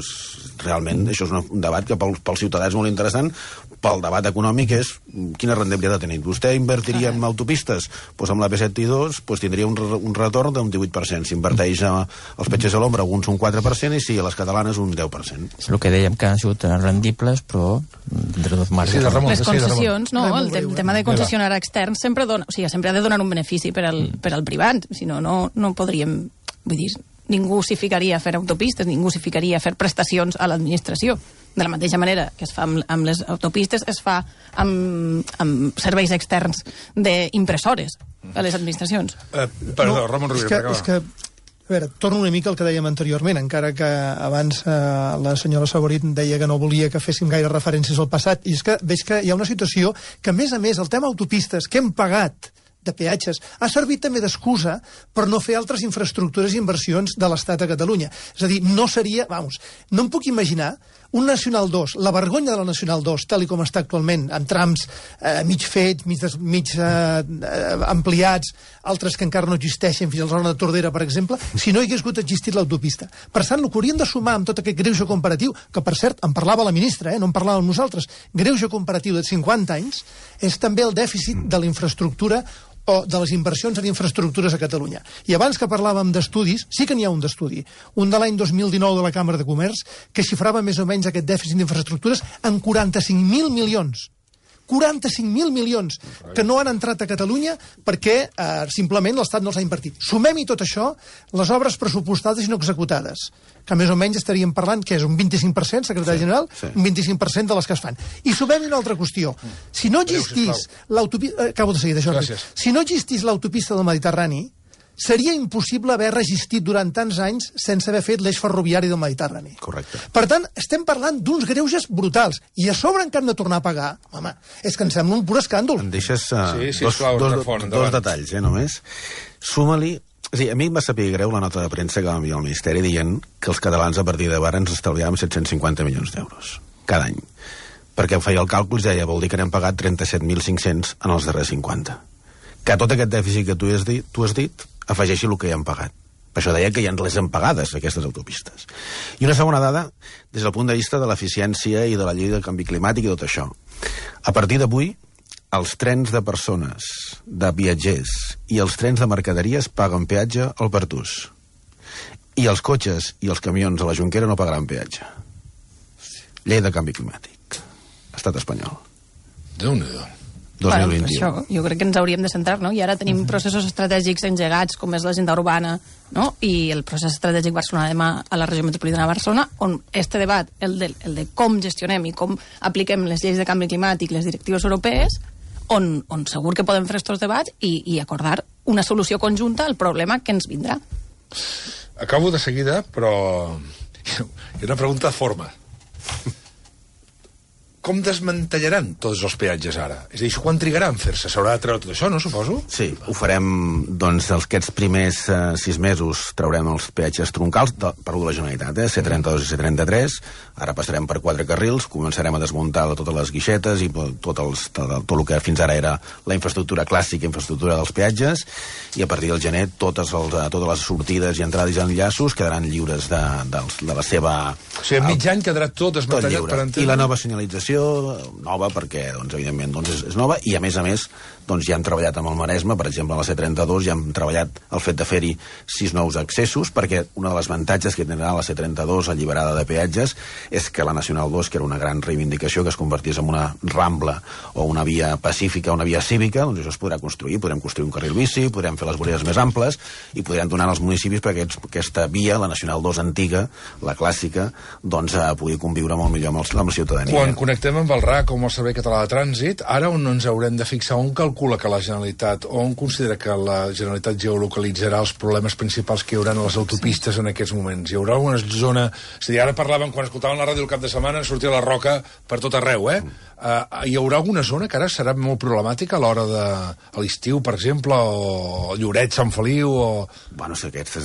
B: realment això és un debat que pel ciutadà és molt interessant. Pel debat econòmic és quina rendibilitat ha tenit. Vostè invertiria en autopistes? Amb la P7 i 2 tindria un retorn d'un 18%. Si inverteix als peatges a l'ombra, alguns un 4%, i a les catalanes un 10%.
D: És el que dèiem, que han sigut rendibles, però dintre dos marges.
C: Les concessions, el tema de concessionar externs sempre ha de donar un benefici per al privat, si no, no podríem, vull dir, ningú s'hi ficaria a fer autopistes, ningú s'hi ficaria a fer prestacions a l'administració. De la mateixa manera que es fa amb les autopistes, es fa amb serveis externs d'impressores a les administracions.
A: Perdó, Ramon Rovira.
F: És que, a veure, torno una mica al que dèiem anteriorment, encara que abans la senyora Saborit deia que no volia que féssim gaire referències al passat, i és que veig que hi ha una situació que, a més, el tema autopistes que hem pagat de peatges ha servit també d'excusa per no fer altres infraestructures i inversions de l'Estat a Catalunya. És a dir, no em puc imaginar un Nacional 2, la vergonya de la Nacional 2, tal com està actualment, amb trams mig fets, mig ampliats, altres que encara no existeixen, fins a la zona de Tordera, per exemple, si no hi hagués existit l'autopista. Per tant, el que hauríem de sumar amb tot aquest greuge comparatiu, que per cert, en parlava la ministra, no en parlàvem nosaltres, greuge comparatiu de 50 anys, és també el dèficit de la infraestructura o de les inversions en infraestructures a Catalunya. I abans que parlàvem d'estudis, sí que n'hi ha un d'estudi, un de l'any 2019 de la Càmera de Comerç, que xifrava més o menys aquest dèficit d'infraestructures en 45.000 milions. 45.000 milions que no han entrat a Catalunya perquè simplement l'Estat no els ha invertit. Sumem-hi tot això, les obres pressupostades i no executades, que més o menys estaríem parlant, que és un 25%, secretari general, un 25% de les que es fan. I sumem-hi una altra qüestió. Si no existís l'autopista... Acabo de seguir, Jordi. Si no existís l'autopista del Mediterrani, seria impossible haver resistit durant tants anys sense haver fet l'eix ferroviari del Mediterrani.
B: Correcte.
F: Per tant, estem parlant d'uns greuges brutals. I a sobre encara hem de tornar a pagar. Home, és que em sembla un pur escàndol.
B: Em deixes dos detalls, només. Suma-li... A mi em va saber greu la nota de premsa que va enviar el Ministeri dient que els catalans a partir d'ara ens estalviàvem 750 milions d'euros cada any. Perquè feia el càlcul i deia, vol dir que n'hem pagat 37.500 en els darrers 50. Que tot aquest dèficit que tu has dit afegeixi el que ja hem pagat. Per això deia que ja ens les hem pagades, aquestes autopistes. I una segona dada, des del punt de vista de l'eficiència i de la llei del canvi climàtic i tot això. A partir d'avui, els trens de persones, de viatgers i els trens de mercaderies paguen peatge al Pertús. I els cotxes i els camions a la Jonquera no pagaran peatge. Llei de canvi climàtic. Estat espanyol.
A: Déu-n'hi-do.
B: 2021.
C: Bueno, això, jo crec que ens hauríem de centrar, no? I ara tenim processos estratègics engegats, com és l'agenda urbana, no? I el procés estratègic Barcelona-Demà a la regió metropolitana de Barcelona, on este debat, el de com gestionem i com apliquem les lleis de canvi climàtic, les directives europees, on segur que podem fer aquests debats i acordar una solució conjunta al problema que ens vindrà.
A: Acabo de seguida, però hi ha una pregunta de forma. com desmantellaran tots els peatges ara? És a dir, quan trigarà en fer-se? S'haurà de treure tot això, no, suposo?
B: Sí, ho farem, doncs, aquests primers 6 mesos traurem els peatges troncals, de la Generalitat, C32 i C33, ara passarem per 4 carrils, començarem a desmuntar totes les guixetes i tot el que fins ara era la infraestructura clàssica, infraestructura dels peatges, i a partir del gener totes les sortides i entrades i enllaços quedaran lliures de la seva...
A: O sigui, mig any quedarà tot desmantellat per entendre...
B: I la nova senyalització nova, perquè, doncs, evidentment, doncs, és nova, i a més, doncs, ja hem treballat amb el Maresme, per exemple, a la C32, ja hem treballat el fet de fer-hi 6 nous accessos, perquè una de les avantatges que tindrà la C32 alliberada de peatges és que la Nacional 2, que era una gran reivindicació, que es convertís en una rambla o una via pacífica, una via cívica, doncs això es podrà construir. Podrem construir un carril bici, podrem fer les voreres més amples i podrem donar als municipis perquè aquesta via, la Nacional 2 antiga, la clàssica, doncs pugui conviure molt millor amb la ciutadania.
A: Quan connectem amb el RAC o amb el Servei Català de Trànsit, ara on ens haurem de fixar? On calcula que la Generalitat, o on considera que la Generalitat geolocalitzarà els problemes principals que hi haurà a les autopistes en aquests moments? Hi haurà una zona... És a dir, ara parlàvem, quan escoltàvem la ràdio el cap de setmana, sortia la roca per tot arreu, hi haurà alguna zona que ara serà molt problemàtica a l'hora de l'estiu, per exemple, o Lloret, Sant Feliu, o...
B: Bueno, sí, aquest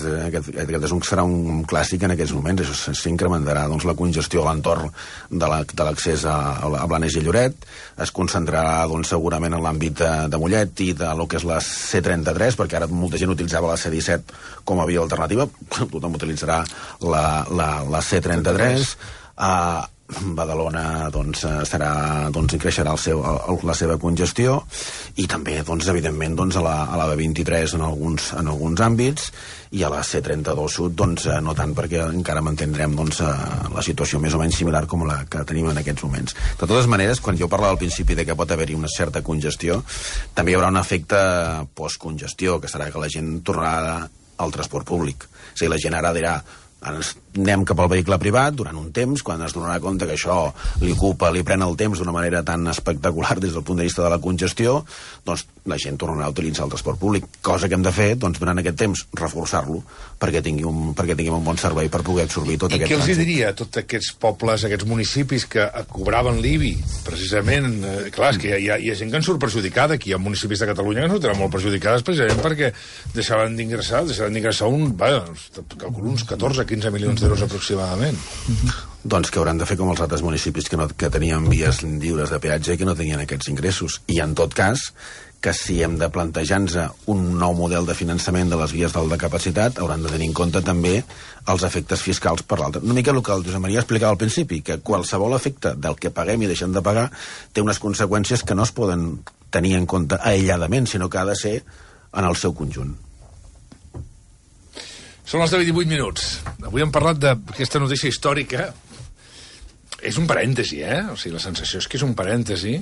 B: serà un clàssic en aquests moments. Això s'incrementarà, doncs, la congestió a l'entorn de l'accés a Blanes i Lloret. Es concentrarà, doncs, segurament en l'àmbit de Mollet i de lo que és la C33, perquè ara molta gent utilitzava la C17 com a via alternativa. Tothom utilitzarà la C33. Badalona, doncs, creixerà la seva congestió, i també, doncs, evidentment, doncs, a la B23 en alguns àmbits, i a la C32 Sud, doncs, no tant, perquè encara mantindrem, doncs, la situació més o menys similar com la que tenim en aquests moments. De totes maneres, quan jo parlava al principi de que pot haver-hi una certa congestió, també hi haurà un efecte postcongestió, que serà que la gent tornarà al transport públic. O sigui, la gent ara dirà: anem cap al vehicle privat durant un temps, quan es donarà compte que això li pren el temps d'una manera tan espectacular des del punt de vista de la congestió, doncs la gent tornarà a utilitzar el transport públic, cosa que hem de fer, doncs, durant aquest temps, reforçar-lo perquè tingui un bon servei per poder absorbir tot aquest trànsit.
A: I què els diria a tots aquests pobles, aquests municipis que cobraven l'IBI, precisament? Clar, és que hi ha gent que en surt perjudicada, aquí hi ha municipis de Catalunya que en sortiran molt perjudicades precisament perquè deixaran d'ingressar calculo uns 14-15 milions d'euros aproximadament.
B: Doncs que hauran de fer com els altres municipis que tenien vies lliures de peatge i que no tenien aquests ingressos. I en tot cas, que si hem de plantejar-nos un nou model de finançament de les vies d'alta capacitat, hauran de tenir en compte també els efectes fiscals per l'altre. Una mica el que el Josep Maria explicava al principi, que qualsevol efecte del que paguem i deixem de pagar té unes conseqüències que no es poden tenir en compte aïlladament, sinó que ha de ser en el seu conjunt.
A: Són les 10:18. Avui hem parlat d'aquesta notícia històrica. És un parèntesi, O sigui, la sensació és que és un parèntesi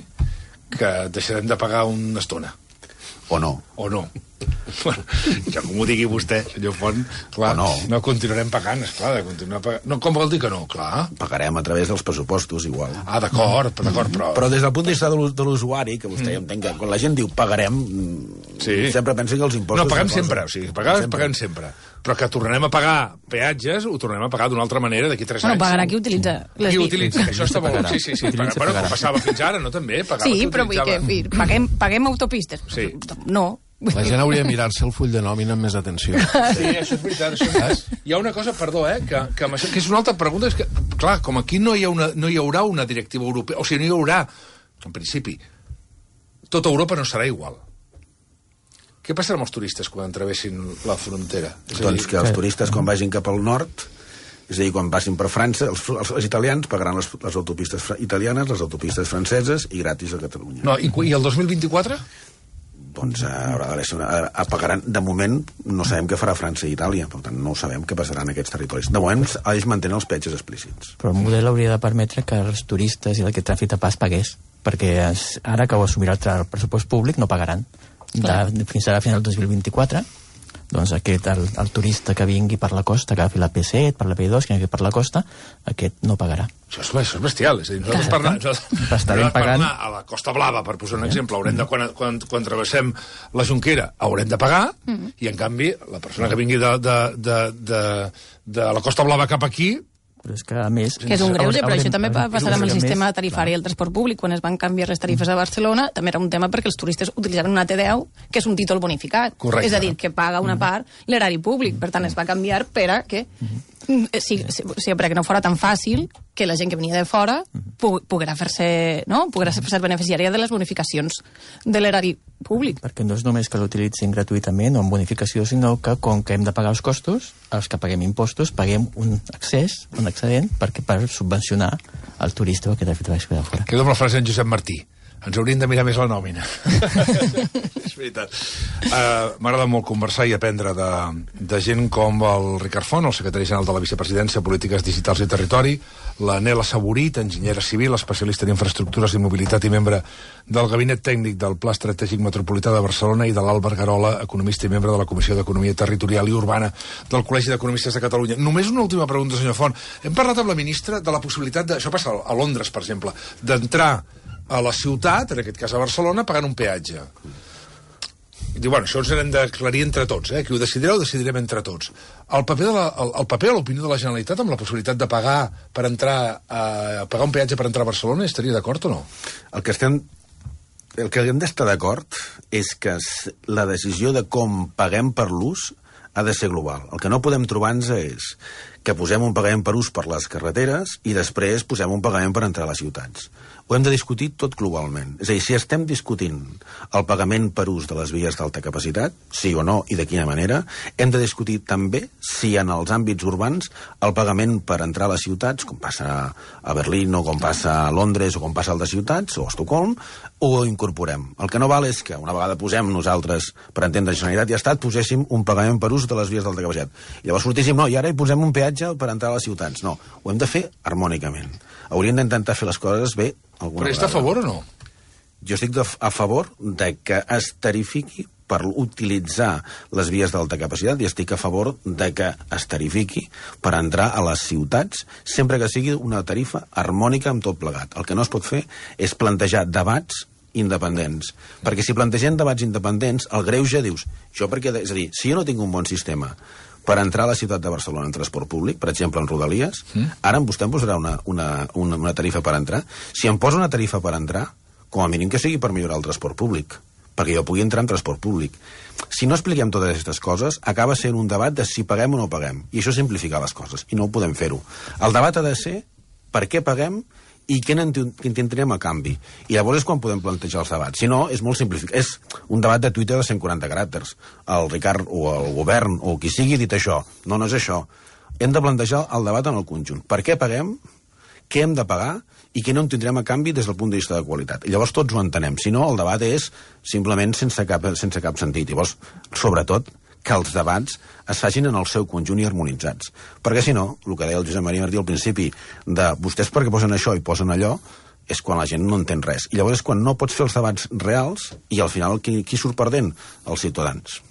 A: que deixarem de pagar una estona.
B: O no.
A: O no. Bueno, ja com ho digui vostè, senyor Font, clar, no continuarem pagant, esclar, de continuar pagant. No, com vol dir que no? Clar.
B: Pagarem a través dels pressupostos, igual.
A: Ah, d'acord, però...
B: Però des del punt de vista de l'usuari, que vostè entenc que quan la gent diu pagarem, sempre pensa que els impostos...
A: No, paguem sempre, o sigui, paguem sempre. Però que tornarem a pagar peatges, ho tornarem a pagar d'una altra manera d'aquí 3 anys.
C: Bueno, pagarà qui utilitza les vies.
A: Això està molt... Sí. Bueno, com passava fins ara, no, també?
C: Sí, però vull que paguem autopistes.
A: Sí.
C: No.
E: La gent hauria de mirar-se el full de nòmina amb més atenció.
A: Sí, això és veritat. Hi ha una cosa, perdó, que és una altra pregunta, és que, clar, com aquí no hi haurà una directiva europea, o sigui, no hi haurà, en principi, tota Europa no serà igual. Què passarà amb els turistes quan travessin la frontera?
B: Doncs que els turistes, quan vagin cap al nord, és a dir, quan passin per França, els italians pagaran les autopistes italianes, les autopistes franceses i gratis a Catalunya.
A: No, i el 2024?
B: Doncs haurà d'haver pagaran. De moment no sabem què farà França i Itàlia, per tant no sabem què passarà en aquests territoris. De moment ells mantenen els peatges explícits.
D: Però el model hauria de permetre que els turistes i el que tràfic de pas pagués, perquè ara que ho assumirà el pressupost públic no pagaran. Fins ara, fins al 2024, doncs el turista que vingui per la costa, que agafi la P7, per la P2, que vingui per la costa, aquest no pagarà.
A: Això és bestial, és a dir, nosaltres
D: estarem pagant
A: a la Costa Blava, per posar un exemple, haurem de, quan travessem la Jonquera, haurem de pagar, i en canvi, la persona que vingui de la Costa Blava cap aquí,
D: Però és que, a més...
C: Que és un greuge, però això també passarà amb el sistema tarifari del transport públic. Quan es van canviar les tarifes a Barcelona, també era un tema perquè els turistes utilitzaven una T10, que és un títol bonificat.
A: Correcte.
C: És a dir, que paga una part l'erari públic. Per tant, es va canviar per a que... perquè no fora tan fàcil que la gent que venia de fora poguera fer-se beneficiària de les bonificacions de l'erari públic.
D: Perquè no és només que l'utilitzin gratuïtament o amb bonificació, sinó que com que hem de pagar els costos, els que paguem impostos, paguem un excedent per subvencionar el turista que de fet va de fora.
A: Quedo amb la frase d'en Josep Martí. Ens hauríem de mirar més la nòmina. És veritat. M'agrada molt conversar i aprendre de gent com el Ricard Font, el secretari general de la Vicepresidència, Polítiques Digitals i Territori, la Nela Saborit, enginyera civil, especialista en infraestructures i mobilitat i membre del Gabinet Tècnic del Pla Estratègic Metropolità de Barcelona, i de l'Àlvar Garola, economista i membre de la Comissió d'Economia Territorial i Urbana del Col·legi d'Economistes de Catalunya. Només una última pregunta, senyor Font. Hem parlat amb la ministra de la possibilitat això passa a Londres, per exemple, d'entrar a la ciutat, en aquest cas a Barcelona, pagant un peatge. I diu, bueno, això ens hem d'aclarir entre tots, qui ho decidireu, decidirem entre tots. El paper o l'opinió de la Generalitat amb la possibilitat de pagar per entrar pagar un peatge per entrar a Barcelona, estaria d'acord o no?
B: El que hem d'estar d'acord és que la decisió de com paguem per l'ús ha de ser global. El que no podem trobar-nos és que posem un pagament per ús per les carreteres i després posem un pagament per entrar a les ciutats. Ho hem de discutir tot globalment. És a dir, si estem discutint el pagament per ús de les vies d'alta capacitat, sí o no, i de quina manera, hem de discutir també si en els àmbits urbans el pagament per entrar a les ciutats, com passa a Berlín o com passa a Londres o com passa a altres ciutats, o a Estocolm, ho incorporem. El que no val és que una vegada posem nosaltres, per entendre Generalitat i Estat, poséssim un pagament per ús de les vies d'alta capacitat. I llavors sortíssim, no, i ara hi posem un peatge per entrar a les ciutats. No, ho hem de fer harmònicament. Hauríem d'intentar fer les coses bé alguna vegada.
A: Però està a favor o no?
B: Jo estic a favor de que es tarifiqui per utilitzar les vies d'alta capacitat i estic a favor de que es tarifiqui per entrar a les ciutats sempre que sigui una tarifa harmònica amb tot plegat. El que no es pot fer és plantejar debats independents. Perquè si plantegem debats independents, el greuge dius, és a dir, si jo no tinc un bon sistema per entrar a la ciutat de Barcelona en transport públic, per exemple en Rodalies, ara vostè em posarà una tarifa per entrar. Si em posa una tarifa per entrar, com a mínim que sigui per millorar el transport públic, perquè jo pugui entrar en transport públic. Si no expliquem totes aquestes coses, acaba sent un debat de si paguem o no paguem, i això simplifica les coses, i no ho podem fer-ho. El debat ha de ser per què paguem i què n'ententrem a canvi. I llavors és quan podem plantejar els debats. Si no, és molt simplificat. És un debat de Twitter de 140 caràcters. El Ricard o el govern o qui sigui ha dit això. No, no és això. Hem de plantejar el debat en el conjunt. Per què paguem? Què hem de pagar? I què no en tindrem a canvi des del punt de vista de qualitat. I llavors tots ho entenem. Si no, el debat és simplement sense cap sentit. Llavors, sobretot, que els debats es facin en el seu conjunt i harmonitzats. Perquè si no, el que deia el Josep Maria Martí al principi, de vostès perquè posen això i posen allò, és quan la gent no entén res. I llavors és quan no pots fer els debats reals i al final qui surt perdent? Els ciutadans.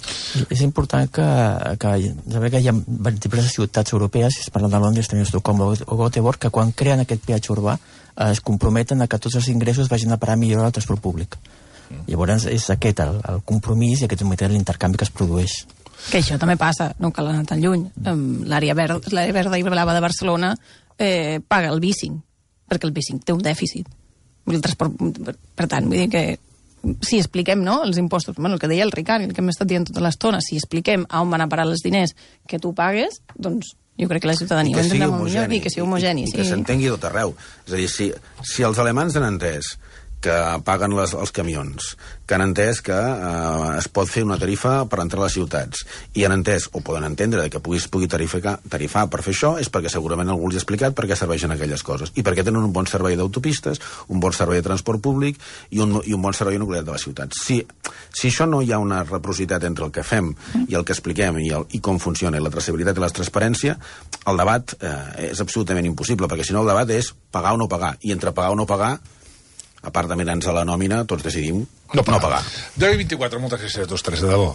D: És important que hi ha diverses ciutats europees, si es parla de Londres, també Estocolm o Göteborg, que quan creen aquest peatge urbà es comprometen a que tots els ingressos vagin a parar a millorar el transport públic. Llavors és aquest el compromís i aquest és l'intercanvi que es produeix.
C: Que això també passa, no cal anar tan lluny. L'àrea verda i blava de Barcelona paga el bicing, perquè el bicing té un dèficit. El transport, per tant, vull dir que si expliquem, no?, els impostos, bueno, el que deia el Ricard, el que hem estat dient tota l'estona, si expliquem a on van a parar els diners que tu pagues, doncs jo crec que la ciutadania ho entendrà molt millor i que sigui homogeni.
B: I que s'entengui tot arreu. És a dir, si els alemans han entès que paguen els camions, que han entès que es pot fer una tarifa per entrar a les ciutats, i han entès, o poden entendre, que pugui tarifar per fer això, és perquè segurament algú els ha explicat per què serveixen aquelles coses, i perquè tenen un bon servei d'autopistes, un bon servei de transport públic i un bon servei nuclear de les ciutats. Si això no hi ha una reciprocitat entre el que fem i el que expliquem i com funciona, i la traçabilitat i la transparència, el debat és absolutament impossible, perquè si no el debat és pagar o no pagar, i entre pagar o no pagar, a part de mirar-nos a la nòmina, tots decidim no pagar.
A: 10:24, moltes gràcies a tots tres, de debò.